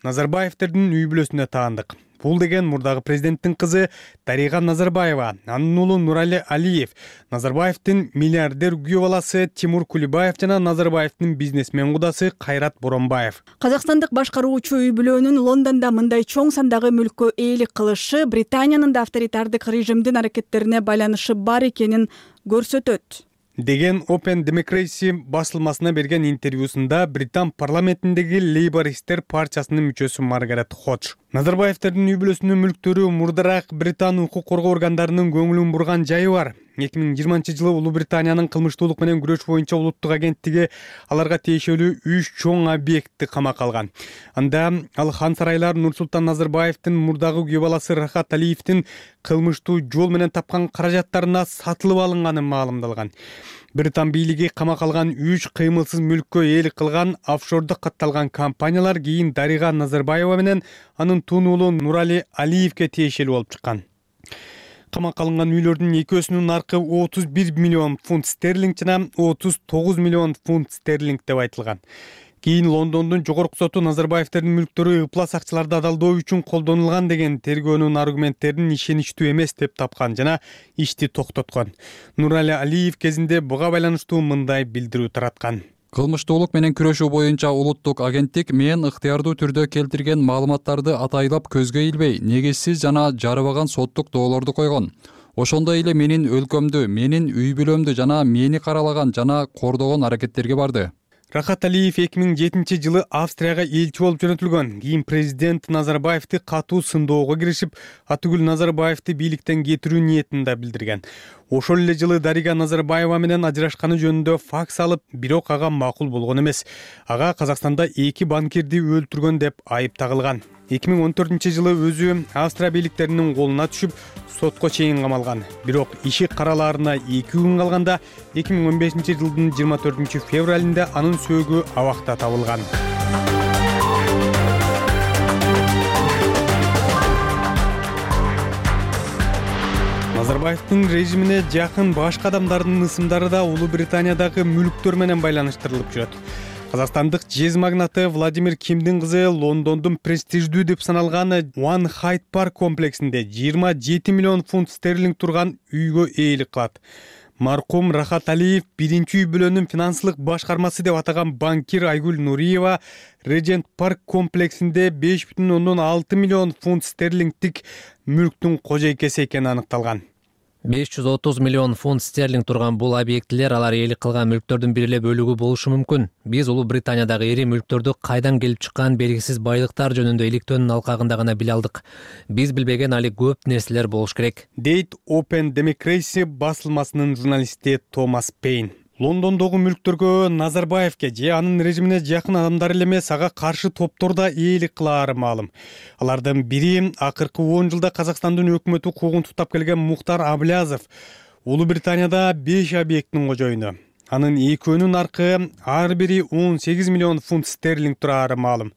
Назарбаевтердин үй бүлөсүнө таандык. Бул деген мурдагы президенттин кызы Дарига Назарбаева, анын уулу Нурали Алиев, Назарбаевдин миллиардер күйөө баласы Тимур Кулибаев жана Назарбаевдин бизнесмен кудасы Кайрат Боронбаев. Казакстандык башкаруучу үй бүлөнүн Лондондо мындай чоң сандагы мүлккө ээлик кылышы Британиянын да авторитардык режимдин аракеттерине байланышы бар экенин көрсөтөт деген Open Democracy басылмасына берген интервьюсунда Британ парламентиндеги Лейбористер партиясынын мүчөсү Маргарет Ходж. Назарбаевтердин үй бүлөсүнүн мүлктөрү мурдараак Британ укук коргоо органдарынын көңүлүн бурган жайы бар. эки миң жыйырманчы жылы Улуу Британиянын кылмыштуулук менен күрөш боюнча улуттук агенттиги аларга тиешелүү үч чоң объектти камакка алган. Анда ал хан сарайлар Нурсултан Назарбаевдин мурдагы күйөө баласы Рахат Алиевдин кылмыштуу жол менен тапкан каражаттарына сатылып алынганы маалымдалган. Британ бийлиги камакка алган үч кыймылсыз мүлккө ээлик кылган офшордо катталган компаниялар кийин Дарига Назарбаева менен анын тун уулу Нурали Алиевге тиешелүү болуп чыккан. Камакка алынган үйлөрдүн экөөсүнүн наркы отуз бир миллион фунт стерлинг жана отуз тогуз миллион фунт стерлинг деп айтылган. Кийин Лондондун жогорку соту Назарбаевтердин мүлктөрү ыплас акчаларды адалдоо үчүн колдонулган деген тергөөнүн аргументтерин ишеничтүү эмес деп тапкан жана ишти токтоткон. Нурали Алиев кезинде буга байланыштуу мындай билдирүү тараткан. Кылмыштуулук менен күрөшүү боюнча улуттук агенттик мен ыктыярдуу түрдө келтирген маалыматтарды атайлап көзгө илбей, негизсиз жана жарыбаган соттук доолорду койгон. Ошондой эле менин өлкөмдү, менин үй бүлөмдү жана мени каралаган жана кордогон аракеттерге барды. Рахат Алиев эки миң жетинчи жылы Австрияга элчи болуп жөнөтүлгөн. Кийин президент Назарбаевди катуу сындоого киришип, Атүгүл Назарбаевди бийликтен кетирүү ниетин да билдирген. Ошол эле жылы Дарига Назарбаева менен ажырашканы жөнүндө факс алып, бирок ага макул болгон эмес. Ага Казакстанда эки банкирди өлтүргөн деп айып тагылган. эки миң он төртүнчү жылы өзү Австрия бийликтеринин колуна түшүп, сотко чейин камалган. Бирок иши каралаарына эки күн калганда эки миң он бешинчи жылдын жыйырма төртүнчү февралында анын сөөгү абакта табылган. Назарбаевдин режимине жакын башка адамдардын ысымдары да Улуу Британиядагы мүлктөр менен байланыштырылып жүрөт. Казакстандык жез магнаты Владимир Кимдин кызы Лондондун престиждүү деп саналган One Hyde Park комплексинде жыйырма жети миллион фунт стерлинг турган үйгө ээлик кылат. Маркум Рахат Алиев биринчи үй бүлөнүн финансылык башкармасы деп атаган банкир Айгүл Нуриева Regent Park комплексинде беш бүтүн ондон алты миллион фунт стерлингдик мүлктүн кожойкеси экени аныкталган. беш жүз отуз миллион фунт стерлинг турган бул объектилер алар ээлик кылган мүлктөрдүн бир эле бөлүгү болушу мүмкүн. Биз Улуу Британиядагы ири мүлктөрдү кайдан келип чыккан белгисиз байлыктар жөнүндө иликтөөнүн алкагында гана биле алдык. Биз билбеген али көп нерселер болуш керек, дейт Open Democracy басылмасынын журналисти Томас Пейн. Лондондогу мүлктөргө Назарбаевге же анын режимине жакын адамдар эле эмес, ага каршы топтор да ээлик кылаары маалым. Алардын бири акыркы он жылда Казакстандын өкмөтү куугун туктап келген Мухтар Аблязов. Улуу Британияда беш объекттин кожоюну. Анын экөөнүн наркы ар бири он сегиз миллион фунт стерлинг тураары маалым.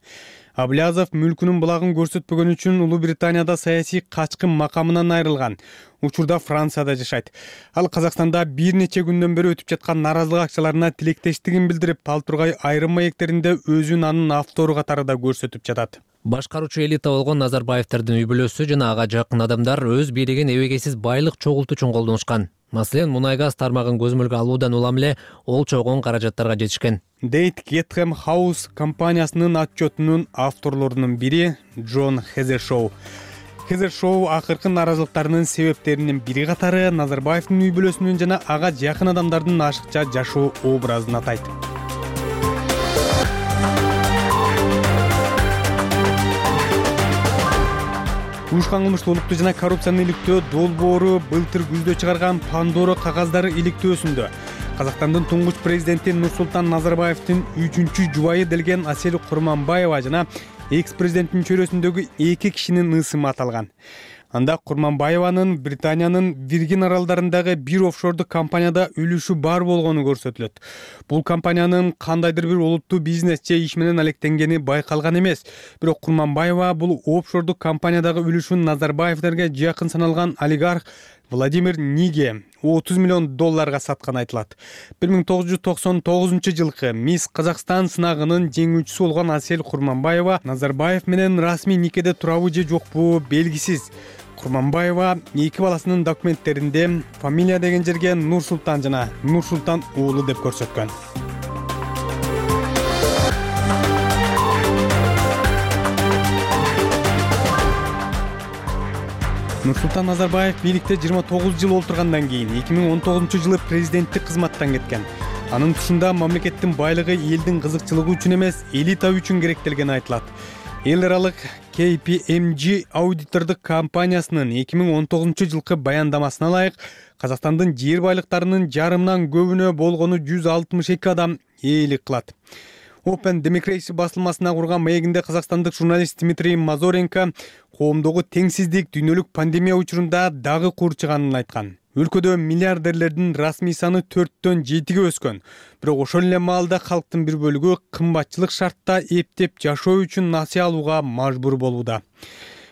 Аблязов мүлкүнүн булагын көрсөтпөгөн үчүн Улуу Британияда саясий качкын макамынан айрылган. Учурда Францияда жашайт. Ал Казакстанда бир нече күндөн бери өтүп жаткан наразылык акчаларына тилектештигин билдирип, ал тургай айрым маектеринде өзүн анын автору катары да көрсөтүп жатат. Башкаруучу элита болгон Назарбаевтердин үй бүлөсү жана ага жакын адамдар өз бийлигин эбегейсиз байлык чогултуу үчүн колдонушкан. Маселен, мунай газ тармагын көзөмөлгө алуудан улам эле ол чогон каражаттарга жетишкен, дейт Chatham House компаниясынын отчетунун авторлорунун бири Джон Хезершоу. Хезершоу акыркы наразылыктарынын себептеринин бири катары Назарбаевдин үй бүлөсүнүн жана ага жакын адамдардын ашыкча жашоо образын атайт. Уюшкан кылмыштуулукту жана коррупцияны иликтөө долбоору былтыр күздө чыгарган Пандора кагаздары иликтөөсүндө Казакстандын туңгуч президенти Нурсултан Назарбаевдин үчүнчү жубайы делген Асель Курманбаева жана экс-президенттин чөйрөсүндөгү эки кишинин ысымы аталган. Анда Курманбаеванын Британиянын Виргин аралдарындагы бир офшордук компанияда үлүшү бар болгону көрсөтүлөт. Бул компаниянын кандайдыр бир олуттуу бизнес же иш менен алектенгени байкалган эмес. Бирок Курманбаева бул офшордук компаниядагы үлүшүн Назарбаевдерге жакын саналган олигарх Владимир Ниге отуз миллион долларга сатканы айтылат. бир миң тогуз жүз токсон тогузунчу жылкы Мисс Казакстан сынагынын жеңүүчүсү болгон Асель Курманбаева Назарбаев менен расмий никеде турабы же жокпу белгисиз. Курманбаева эки баласынын документтеринде фамилия деген жерге Нурсултан жана Нурсултан уулу деп көрсөткөн. Нурсултан Назарбаев бийликте жыйырма тогуз жыл олтургандан кийин эки миң он тогузунчу жылы президенттик кызматтан кеткен. Анын тушунда мамлекеттин байлыгы элдин кызыкчылыгы үчүн эмес, элита үчүн керектелгени айтылат. Эл аралык кей пи эм джи аудитордук компаниясынын эки миң он тогузунчу жылкы баяндамасына ылайык Казакстандын жер байлыктарынын жарымынан көбүнө болгону жүз алтымыш эки адам ээлик кылат. Open Democracy басылмасына курган маегинде казакстандык журналист Дмитрий Мазоренко коомдогу теңсиздик дүйнөлүк пандемия учурунда дагы курчуганын айткан. Өлкөдө миллиардерлердин расмий саны төрттөн жетиге өскөн. Бирок ошол эле маалда калктын бир бөлүгү кымбатчылык шартта эптеп жашоо үчүн насыя алууга мажбур болууда.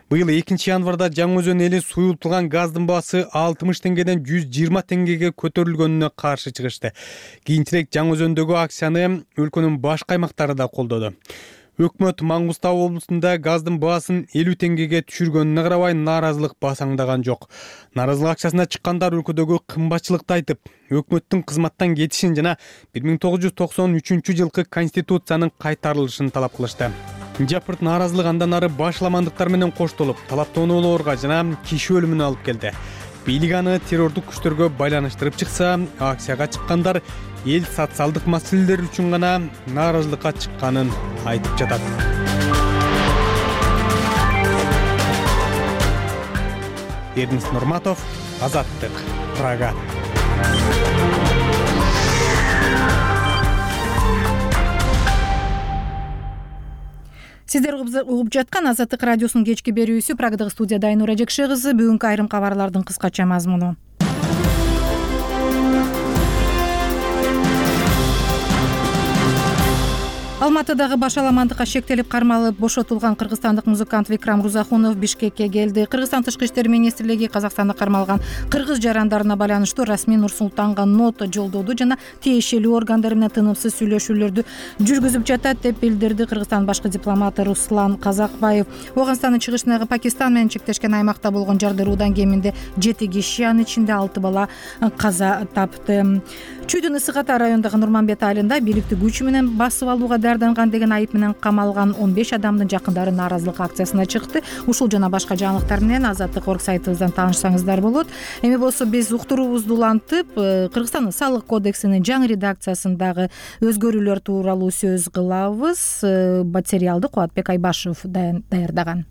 Быйыл экинчи январда Жаңы Өзөн эли суюлтулган газдын баасы алтымыш теңгеден жүз жыйырма теңгеге көтөрүлгөнүнө каршы чыгышты. Кийинчерээк Жаңы Өзөндөгү акцияны өлкөнүн башка аймактары да колдоду. Өкмөт Маңгыстау облусунда газдын баасын элүү теңгеге түшүргөнүнө карабай нааразылык басаңдаган жок. Нааразылык акциясына чыккандар өлкөдөгү кымбатчылыкты айтып, өкмөттүн кызматтан кетишин жана бир миң тогуз жүз токсон үчүнчү жылкы конституциянын кайтарылышын талап кылышты. Жапырт нааразылык андан ары башламандыктар менен коштолуп, талаптоонуулорго жана киши өлүмүнө алып келди. Бийлик аны террордук күчтөргө байланыштырып чыкса, акцияга чыккандар эл социалдык маселелер үчүн гана нааразылыкка чыкканын айтып жатат. Эрнис Нурматов, Азаттык, Прага. Сиздер угуп жаткан Азаттык радиосунун кечки берүүсү. Прагадагы студияда Айнура Жекше кызы. Бүгүнкү айрым кабарлардын кыскача мазмуну. Алматыдагы башаламандыкка шектелип кармалып бошотулган кыргызстандык музыкант Викрам Рузахунов Бишкекке келди. Кыргызстан Тышкы иштер министрлиги Казакстанда кармалган кыргыз жарандарына байланыштуу расмий Нурсултанга нота жолдоду жана тиешелүү органдар менен тынымсыз сүйлөшүүлөрдү жүргүзүп жатат деп билдирди Кыргызстан башкы дипломаты Руслан Казакбаев. Оганстандын чыгышындагы Пакистан менен чектешкен аймакта болгон жардыруудан кеминде жети киши, анын ичинде алты бала каза тапты. Чүйдүн Ысык Ата районундагы Нурманбет айылында бийликти күч менен басып алууга дарданган деген айып менен камалган он беш адамдын жакындары нааразылык акциясына чыкты. Ушул жана башка жаңылыктар менен Азаттык орг сайтыбыздан таанышсаңыздар болот. Эми болсо биз уктуруубузду улантып, Кыргызстандын салык кодексинин жаңы редакциясындагы өзгөрүүлөр тууралуу сөз кылабыз. Материалды Кубатбек Айбашев даярдаган.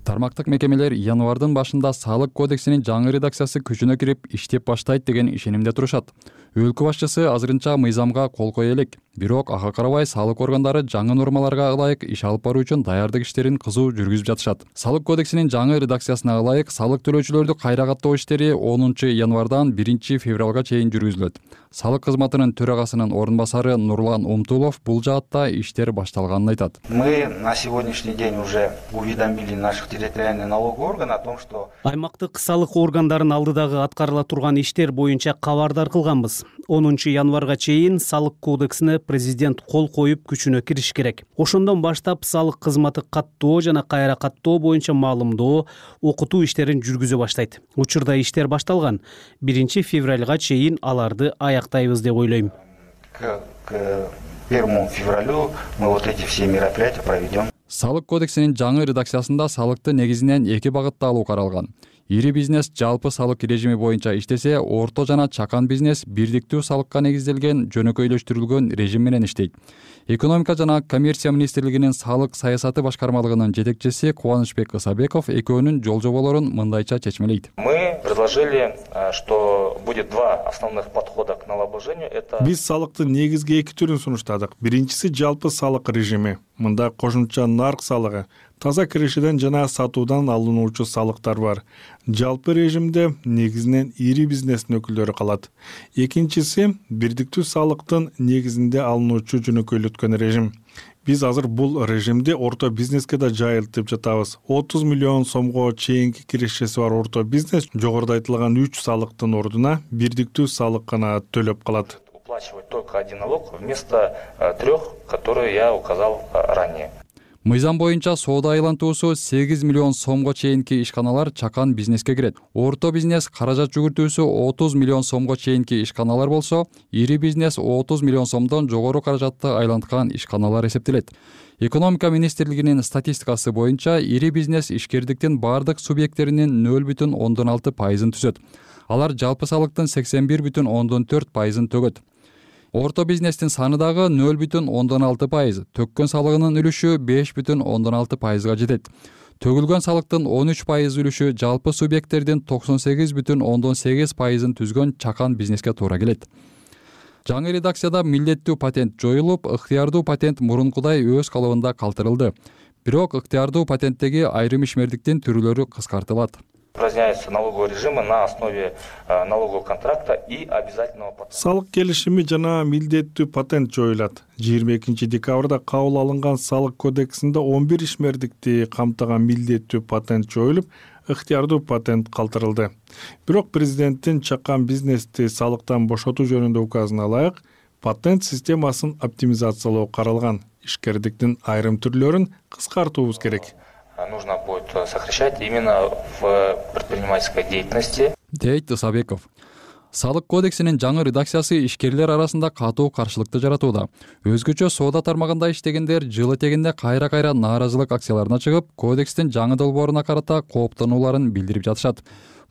Тармактык мекемелер январдын башында салык кодексинин жаңы редакциясы күчүнө кирип иштеп баштайт деген ишенимде турушат. Өлкө башчысы азырынча мыйзамга кол кое элек. Бирок ага карабай салык органдары жаңы нормаларга ылайык иш алып баруу үчүн даярдык иштерин кызуу жүргүзүп жатышат. Салык кодексинин жаңы редакциясына ылайык салык төлөөчүлөрдү кайра каттоо иштери онунчу январдан биринчи февралга чейин жүргүзүлөт. Салык кызматынын төрагасынын орун басары Нурлан Умтулов бул жаатта иштер башталганын айтат. Мы на сегодняшний день уже уведомили наших территориальных налоговых органов о том, что аймактык салык органдарын алдыдагы аткарыла турган иштер боюнча кабардар кылганбыз. онунчу январга чейин салык кодексине президент кол коюп күчүнө кириш керек. Ошондон баштап салык кызматы каттоо жана кайра каттоо боюнча маалымдоо, окутуу иштерин жүргүзө баштайт. Учурда иштер башталган. биринчи февралга чейин аларды аяктайбыз деп ойлойм. К первому февралю мы вот эти все мероприятия проведем. Салык кодексинин жаңы редакциясында салыкты негизинен эки багытта алуу каралган. Ири бизнес жалпы салык режими боюнча иштесе, орто жана чакан бизнес бирдиктүү салыкка негизделген жөнөкөйлөштүрүлгөн режим менен иштейт. Экономика жана коммерция министрлигинин салык саясаты башкармалыгынын жетекчиси Кубанычбек Ысабеков экөөнүн жол жоболорун мындайча чечмелейт. Мы предложили, что будет два основных подхода к налогообложению. Это биз салыктын негизги эки түрүн сунуштадык. Биринчиси жалпы салык режими. Мында кошумча нарк салыгы, таза киришиден жана сатуудан алынуучу салыктар бар. Жалпы режимде негизинен ири бизнестин өкүлдөрү калат. Экинчиси бирдиктүү салыктын негизинде алынуучу жөнөкөйлөткөн режим. Биз азыр бул режимди орто бизнеске да жайылтып жатабыз. отуз миллион сомго чейинки киришеси бар орто бизнес жогоруда айтылган үч салыктын ордуна бирдиктүү салык гана төлөп калат. Уплачивать только один налог вместо трех, которые я указал ранее. Мыйзам боюнча соода айлантуусу сегиз миллион сомго чейинки ишканалар чакан бизнеске кирет. Орто бизнес каражат жүгүртүүсү отуз миллион сомго чейинки ишканалар болсо, ири бизнес отуз миллион сомдон жогору каражатты айланткан ишканалар эсептелет. Экономика министрлигинин статистикасы боюнча ири бизнес ишкердиктин бардык субъекттеринин нөл бүтүн ондон алты пайызын түзөт. Алар жалпы салыктын сексен бир бүтүн ондон төрт пайызын төгөт. Орто бизнестин саны дагы нөл бүтүн ондон алты пайыз, төккөн салыгынын үлүшү беш бүтүн ондон алты пайызга жетет. Төгүлгөн салыктын он үч пайыз үлүшү жалпы субъекттердин токсон сегиз бүтүн ондон сегиз пайызын түзгөн чакан бизнеске туура келет. Жаңы редакцияда милдеттүү патент жоюлуп, ыктыярдуу патент мурункудай өз калыбында калтырылды. Бирок ыктыярдуу патенттеги айрым ишмердиктин түрүлөрү кыскартылат. Упраздняются налоговые режимы на основе налогового контракта и обязательного патента. Салык келишими жана милдеттүү патент жоюлат. жыйырма экинчи декабрда кабыл алынган салык кодексинде он бир ишмердикти камтыган милдеттүү патент жоюлуп, ыктыярдуу патент калтырылды. Бирок президенттин чакан бизнести салыктан бошотуу жөнүндө указына ылайык патент системасын оптимизациялоо каралган. Ишкердиктин айрым түрлөрүн кыскартуубуз керек. Нужно будет сокращать именно в предпринимательской деятельности. Дейт Исабеков. Салык кодексинин жаңы редакциясы ишкерлер арасында катуу каршылыкты жаратууда. Өзгөчө соода тармагында иштегендер жыл этегинде кайра-кайра нааразылык акцияларына чыгып, кодекстин жаңы долбооруна карата кооптонууларын билдирип жатышат.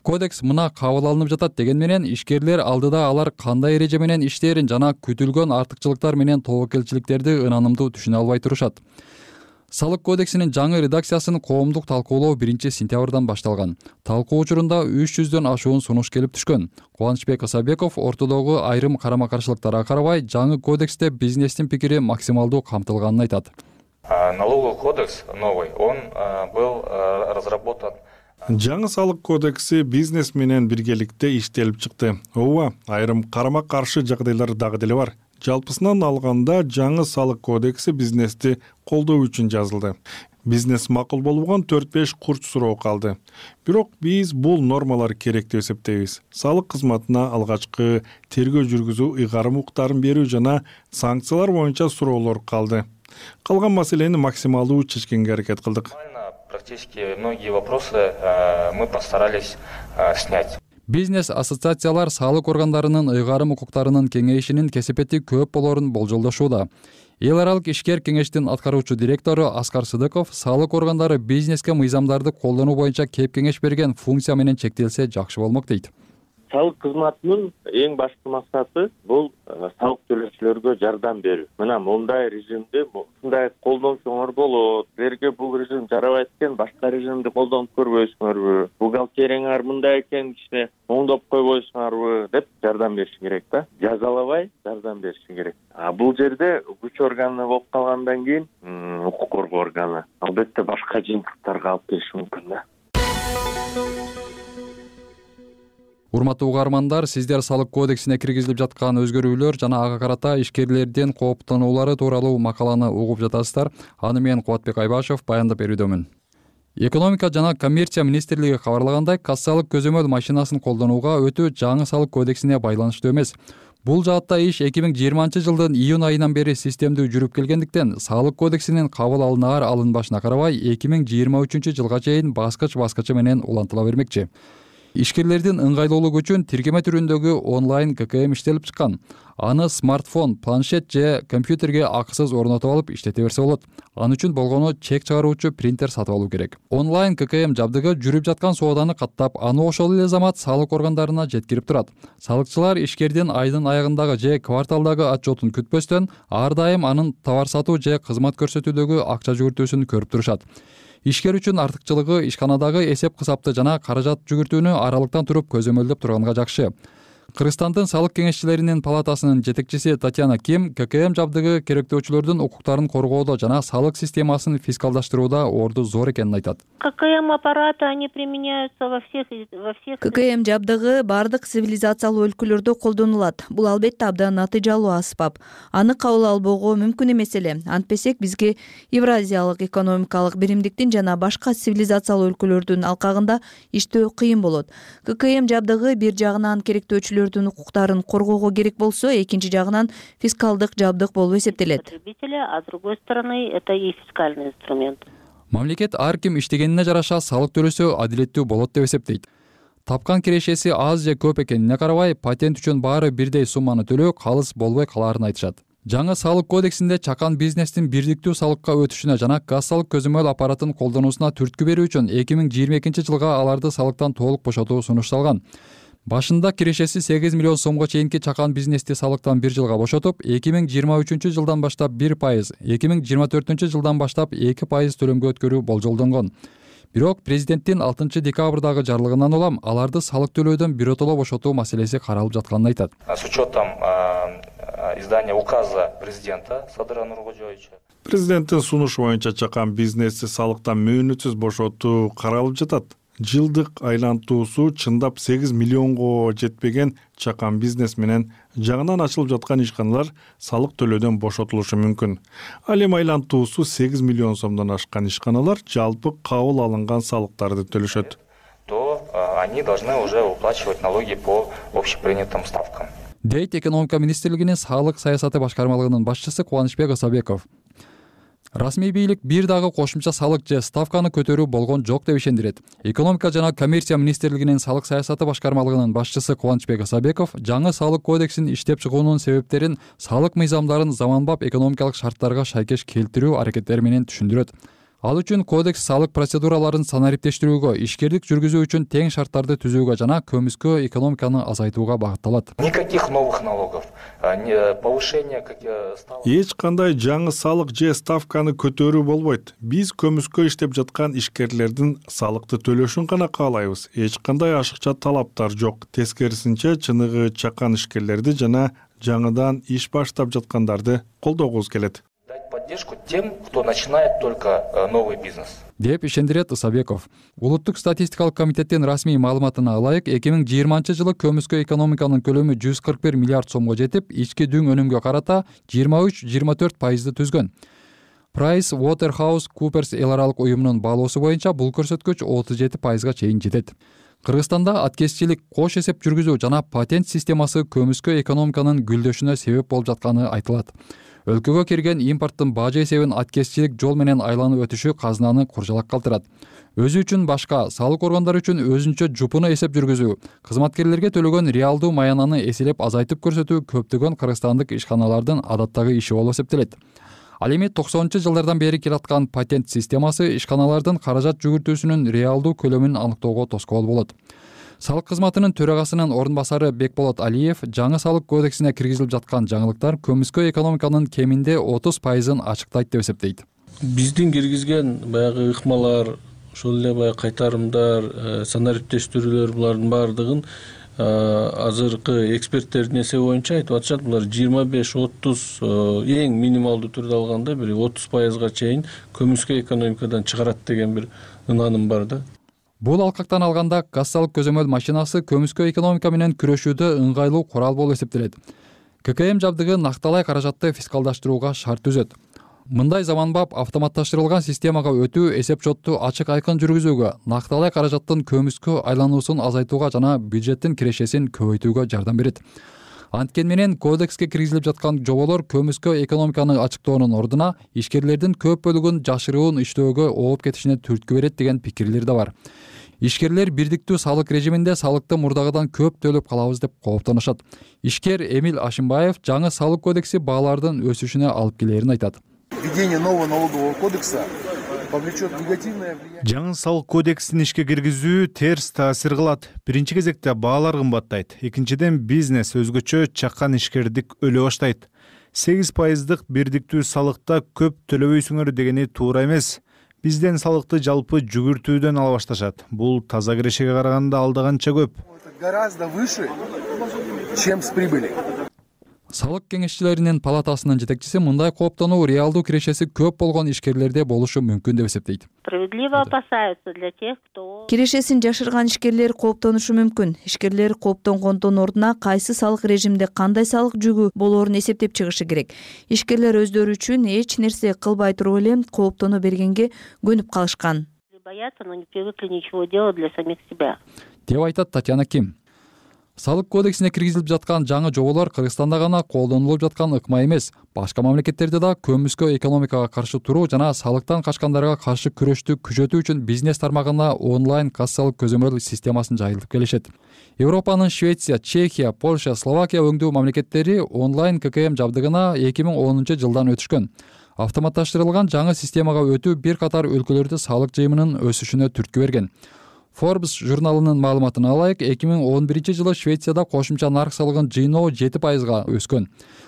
Кодекс мына кабыл алынып жатат деген менен ишкерлер алдыда алар кандай эреже менен иштээрин жана күтүлгөн артыкчылыктар менен тобокелчиликтерди ынанымдуу түшүнө албай турушат. Салык кодексинин жаңы редакциясын коомдук талкуулоо биринчи сентябрдан башталган. Талкуу учурунда үч жүздөн ашуун сунуш келип түшкөн. Кубанычбек Исабеков ортодогу айрым карама-каршылыктарга карабай, жаңы кодексте бизнестин пикири максималдуу камтылганын айтат. Налоговый кодекс новый, он был разработан. Жаңы салык кодекси бизнес менен биргеликте иштелип чыкты. Ооба, айрым карама-каршы жагдайлар дагы деле бар. Жалпысынан алганда жаңы салык кодекси бизнести колдоо үчүн жазылды. Бизнес макул болбогон төрт беш курч суроо калды. Бирок биз бул нормалар керек деп эсептейбиз. Салык кызматына алгачкы тергөө жүргүзүү, ыйгарым укуктарын берүү жана санкциялар боюнча суроолор калды. Калган маселени максималдуу чечкенге аракет кылдык. Практически многие вопросы мы постарались снять. Бизнес-ассоциациялар салык органдарынын ыйгарым укуктарынын кеңейишинин кесепети көп болорун болжолдошууда. Эл аралык ишкер кеңештин аткаруучу директору Аскар Сыдыков салык органдары бизнеске мыйзамдарды колдонуу боюнча кеп кеңеш берген функция менен чектелсе жакшы болмок дейт. Салык кызматынын эң башкы максаты бул салык төлөөчүлөргө жардам берүү. Мына мындай режимди ушундай колдонсоңор болот. Силерге бул режим жарабайт экен, башка режимди колдонуп көрбөйсүңөрбү? Бухгалтерияңар мындай экен, кичине оңдоп койбойсуңарбы деп жардам бериши керек да. Жазалабай жардам бериши керек. А бул жерде күч органы болуп калгандан кийин укук коргоо органы албетте башка жыйынтыктарга алып келиши мүмкүн да. Урматтуу угармандар, сиздер салык кодексине киргизилип жаткан өзгөрүүлөр жана ага карата ишкерлердин кооптонуулары тууралуу макаланы угуп жатасыздар. Аны мен Кубатбек Айбашев баяндап берүүдөмүн. Экономика жана коммерция министрлиги кабарлагандай, кассалык көзөмөл машинасын колдонууга өтүү жаңы салык кодексине байланыштуу эмес. Бул жаатта иш эки миң жыйырманчы жылдын июнь айынан бери системдүү жүрүп келгендиктен, салык кодексинин кабыл алынаар алынбашына карабай эки миң жыйырма үчүнчү жылга чейин баскыч-баскычы менен улантыла бермекчи. Ишкерлердин ыңгайлуулугу үчүн тиркеме түрүндөгү онлайн ка ка эм иштелип чыккан. Аны смартфон, планшет же компьютерге акысыз орнотуп алып иштете берсе болот. Аны үчүн болгону чек чыгаруучу принтер сатып алуу керек. Онлайн ка ка эм жабдыгы жүрүп жаткан сооданы каттап, аны ошол эле замат салык органдарына жеткирип турат. Салыкчылар ишкердин айдын аягындагы же кварталдагы отчетун күтпөстөн, ар дайым анын товар сатуу же кызмат көрсөтүүдөгү акча жүгүртүүсүн көрүп турушат. Ишкер үчүн артыкчылыгы ишканадагы эсеп кысапты жана каражат жүгүртүүнү аралыктан туруп көзөмөлдөп турганга жакшы. Кыргызстандын салык кеңешчилеринин палатасынын жетекчиси Татьяна Ким ККМ жабдыгы керектөөчүлөрдүн укуктарын коргоодо жана салык системасын фискалдаштырууда орду зор экенин айтат. ККМ аппараты, они применяются во всех во всех ККМ жабдыгы бардык цивилизациялуу өлкөлөрдө колдонулат. Бул албетте абдан натыйжалуу аспап. Аны кабыл албоого мүмкүн эмес эле. Антпесек бизге Евразиялык экономикалык биримдиктин жана башка цивилизациялуу өлкөлөрдүн алкагында иштөө кыйын болот. ККМ жабдыгы бир жагынан керектөөчүлөр укуктарын коргоого керек болсо, экинчи жагынан фискалдык жабдык болуп эсептелет. А с другой стороны, это и фискальный инструмент. Мамлекет ар ким иштегенине жараша салык төлөсө адилеттүү болот деп эсептейт. Тапкан кирешеси аз же көп экенине карабай, патент үчүн баары бирдей сумманы төлөө калыс болбой калаарын айтышат. Жаңы салык кодексинде чакан бизнестин бирдиктүү салыкка өтүшүнө жана газ салык көзөмөл аппаратын колдонуусуна түрткү берүү үчүн эки миң жыйырма экинчи жылга аларды салыктан толук бошотуу сунушталган. Башында кирешеси сегиз миллион сомго чейинки чакан бизнести салыктан бир жылга бошотуп, эки миң жыйырма үчүнчү жылдан баштап бир пайыз, эки миң жыйырма төртүнчү жылдан баштап эки пайыз төлөмгө өткөрүү болжолдонгон. Бирок президенттин алтынчы декабрдагы жарлыгынан улам аларды салык төлөөдөн биротоло бошотуу маселеси каралып жатканын айтат. С учетом издания указа президента Садыра Нуркожоевича. Президенттин сунушу боюнча чакан бизнести салыктан мөөнөтсүз бошотуу каралып жатат. Жылдык айлантуусу чындап сегиз миллионго жетпеген чакан бизнес менен жаңынан ачылып жаткан ишканалар салык төлөөдөн бошотулушу мүмкүн. Ал эми айлантуусу сегиз миллион сомдон ашкан ишканалар жалпы кабыл алынган салыктарды төлөшөт. То они должны уже уплачивать налоги по общепринятым ставкам. Дейт экономика министрлигинин салык саясаты башкармалыгынын башчысы Кубанычбек Ысабеков. Расмий бийлик бир дагы кошумча салык же ставканы көтөрүү болгон жок деп ишендирет. Экономика жана коммерция министрлигинин салык саясаты башкармалыгынын башчысы Кубанычбек Ысабеков жаңы салык кодексин иштеп чыгуунун себептерин салык мыйзамдарын заманбап экономикалык шарттарга шайкеш келтирүү аракеттери менен түшүндүрөт. Ал үчүн кодекс салык процедураларын санариптештирүүгө, ишкердик жүргүзүү үчүн тең шарттарды түзүүгө жана көмүскө экономиканы азайтууга багытталат. Никаких новых налогов, повышение ставок. Эч кандай жаңы салык же ставканы көтөрүү болбойт. Биз көмүскө иштеп жаткан ишкерлердин салыкты төлөшүн гана каалайбыз. Эч кандай ашыкча талаптар жок. Тескерисинче, чыныгы чакан ишкерлерди жана жаңыдан иш баштап жаткандарды колдогубуз келет. Поддержку тем, кто начинает только новый бизнес. Деп ишендирет Ысабеков. Улуттук статистикалык комитеттин расмий маалыматына ылайык, эки миң жыйырманчы жылы көмүскө экономиканын көлөмү жүз кырк бир миллиард сомго жетип, ички дүң өнүмгө карата жыйырма үч жыйырма төрт пайызды түзгөн. Price Waterhouse Coopers эл аралык уюмунун баалоосу боюнча бул көрсөткүч отуз жети пайызга чейин жетет. Кыргызстанда аткезчилик, кош эсеп жүргүзүү жана патент системасы көмүскө экономиканын гүлдөшүнө себеп болуп жатканы айтылат. Өлкөгө кирген импорттун бажы эсебин аткезчилик жол менен айланып өтүшү казынаны куржалак калтырат. Өзү үчүн башка, салык органдары үчүн өзүнчө жупуну эсеп жүргүзүү, кызматкерлерге төлөгөн реалдуу маянаны эселеп азайтып көрсөтүү көптөгөн кыргызстандык ишканалардын адаттагы иши болуп эсептелет. Ал эми токсонунчу жылдардан бери келаткан патент системасы ишканалардын каражат жүгүртүүсүнүн реалдуу көлөмүн аныктоого тоскоол болот. Салык кызматынын төрагасынын орун басары Бекболот Алиев жаңы салык кодексине киргизилип жаткан жаңылыктар көмүскө экономиканын кеминде отуз пайызын ачыктайт деп эсептейт. Биздин киргизген баягы ыкмалар, ошол эле баягы кайтарымдар, санариптештирүүлөр булардын баардыгын азыркы эксперттердин эсеби боюнча айтып атышат, булар жыйырма беш отуз эң минималдуу түрдө алганда бир отуз пайызга чейин көмүскө экономикадан чыгарат деген бир ынааным бар да. Бул алкактан алганда газ салык көзөмөл машинасы көмүскө экономика менен күрөшүүдө ыңгайлуу курал болуп эсептелет. ККМ жабдыгы накталай каражатты фискалдаштырууга шарт түзөт. Мындай заманбап автоматташтырылган системага өтүү эсеп шотту ачык айкын жүргүзүүгө, накталай каражаттын көмүскө айлануусун азайтууга жана бюджеттин кирешесин көбөйтүүгө жардам берет. Анткени менен кодекске киргизилип жаткан жоболор көмүскө экономиканы ачыктоонун ордуна ишкерлердин көп бөлүгүн жашыруун иштөөгө ооп кетишине түрткү берет деген пикирлер да бар. Ишкерлер бирдиктүү салык режиминде салыкты мурдагыдан көп төлөп калабыз деп кооптонушат. Ишкер Эмил Ашимбаев жаңы салык кодекси баалардын өсүшүнө алып келерин айтат. Введение нового налогового кодекса повлечет негативное влияние. Жаңы салык кодексин ишке киргизүү терс таасир кылат. Биринчи кезекте баалар кымбаттайт. Экинчиден бизнес өзгөчө чакан ишкердик өлө баштайт. сегиз пайыздык бирдиктүү салыкта көп төлөбөйсүңөр дегени туура эмес. Бизден салыкты жалпы жүгүртүүдөн ала башташат. Бул таза кирешеге караганда алда канча көп. Гораздо выше чем с прибыли. Салык кеңешчилеринин палатасынын жетекчиси мындай кооптонуу реалдуу кирешеси көп болгон ишкерлерде болушу мүмкүн деп эсептейт. Справедливо опасаются для тех, кто... Кирешесин жашырган ишкерлер кооптонушу мүмкүн. Ишкерлер кооптонгондун ордуна кайсы салык режимде кандай салык жүгү болоорун эсептеп чыгышы керек. Ишкерлер өздөрү үчүн эч нерсе кылбай туруп эле кооптоно бергенге көнүп калышкан. Боятся, но не привыкли ничего делать для самих себя. Деп айтат Татьяна Ким. Салык кодексине киргизилип жаткан жаңы жоболор Кыргызстанда гана колдонулуп жаткан ыкма эмес, башка мамлекеттерде да көмүскө экономикага каршы туруу жана салыктан качкандарга каршы күрөштү күчөтүү үчүн бизнес тармагына онлайн кассалык көзөмөл системасын жайылтып келишет. Европанын Швеция, Чехия, Польша, Словакия өңдүү мамлекеттери онлайн ка ка эм жабдыгына эки миң онунчу жылдан өтүшкөн. Автоматташтырылган жаңы системага өтүү бир катар өлкөлөрдө салык жыйымынын өсүшүнө түрткү берген. Forbes журналынын маалыматына алайык, эки миң он биринчи жылы Швецияда кошумча нарк салыгын жыйноо жети пайызга өскөн.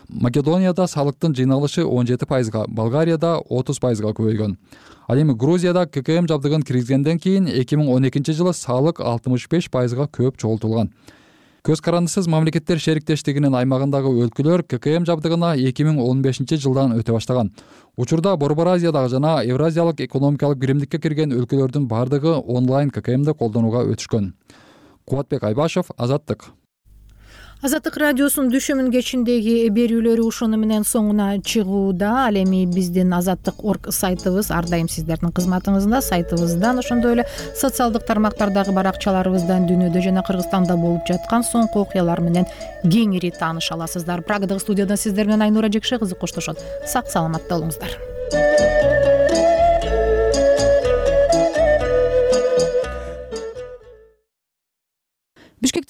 Македонияда салыктын жыйналышы он жети пайызга, Болгарияда отуз пайызга көбөйгөн. Ал эми Грузияда ка ка эм жабдыгын киргизгенден кийин эки миң он экинчи жылы салык алтымыш беш пайызга көп чогултулган. Көз карандысыз мамлекеттер шериктештигинин аймагындагы өлкөлөр ка ка эм жабдыгына эки миң он бешинчи жылдан өтө баштаган. Учурда Борбор Азиядагы жана Евразиялык экономикалык биримдикке кирген өлкөлөрдүн бардыгы онлайн ка ка эмди колдонууга өтүшкөн. Кубатбек Айбашев, Азаттык. Азаттык радиосунун дүшүмүн кечиндеги берүүлөрү ушуну менен соңуна чыгууда. Ал эми биздин азаттык точка орг сайтыбыз ар дайым сиздердин кызматыңызда. Сайтыбыздан, ошондой эле социалдык тармактардагы баракчаларыбыздан дүйнөдө жана Кыргызстанда болуп жаткан соңку окуялар менен кеңири тааныша аласыздар. Прагадагы студиядан сиздер менен Айнура Жекше кызы коштошот. Сак саламатта болуңуздар.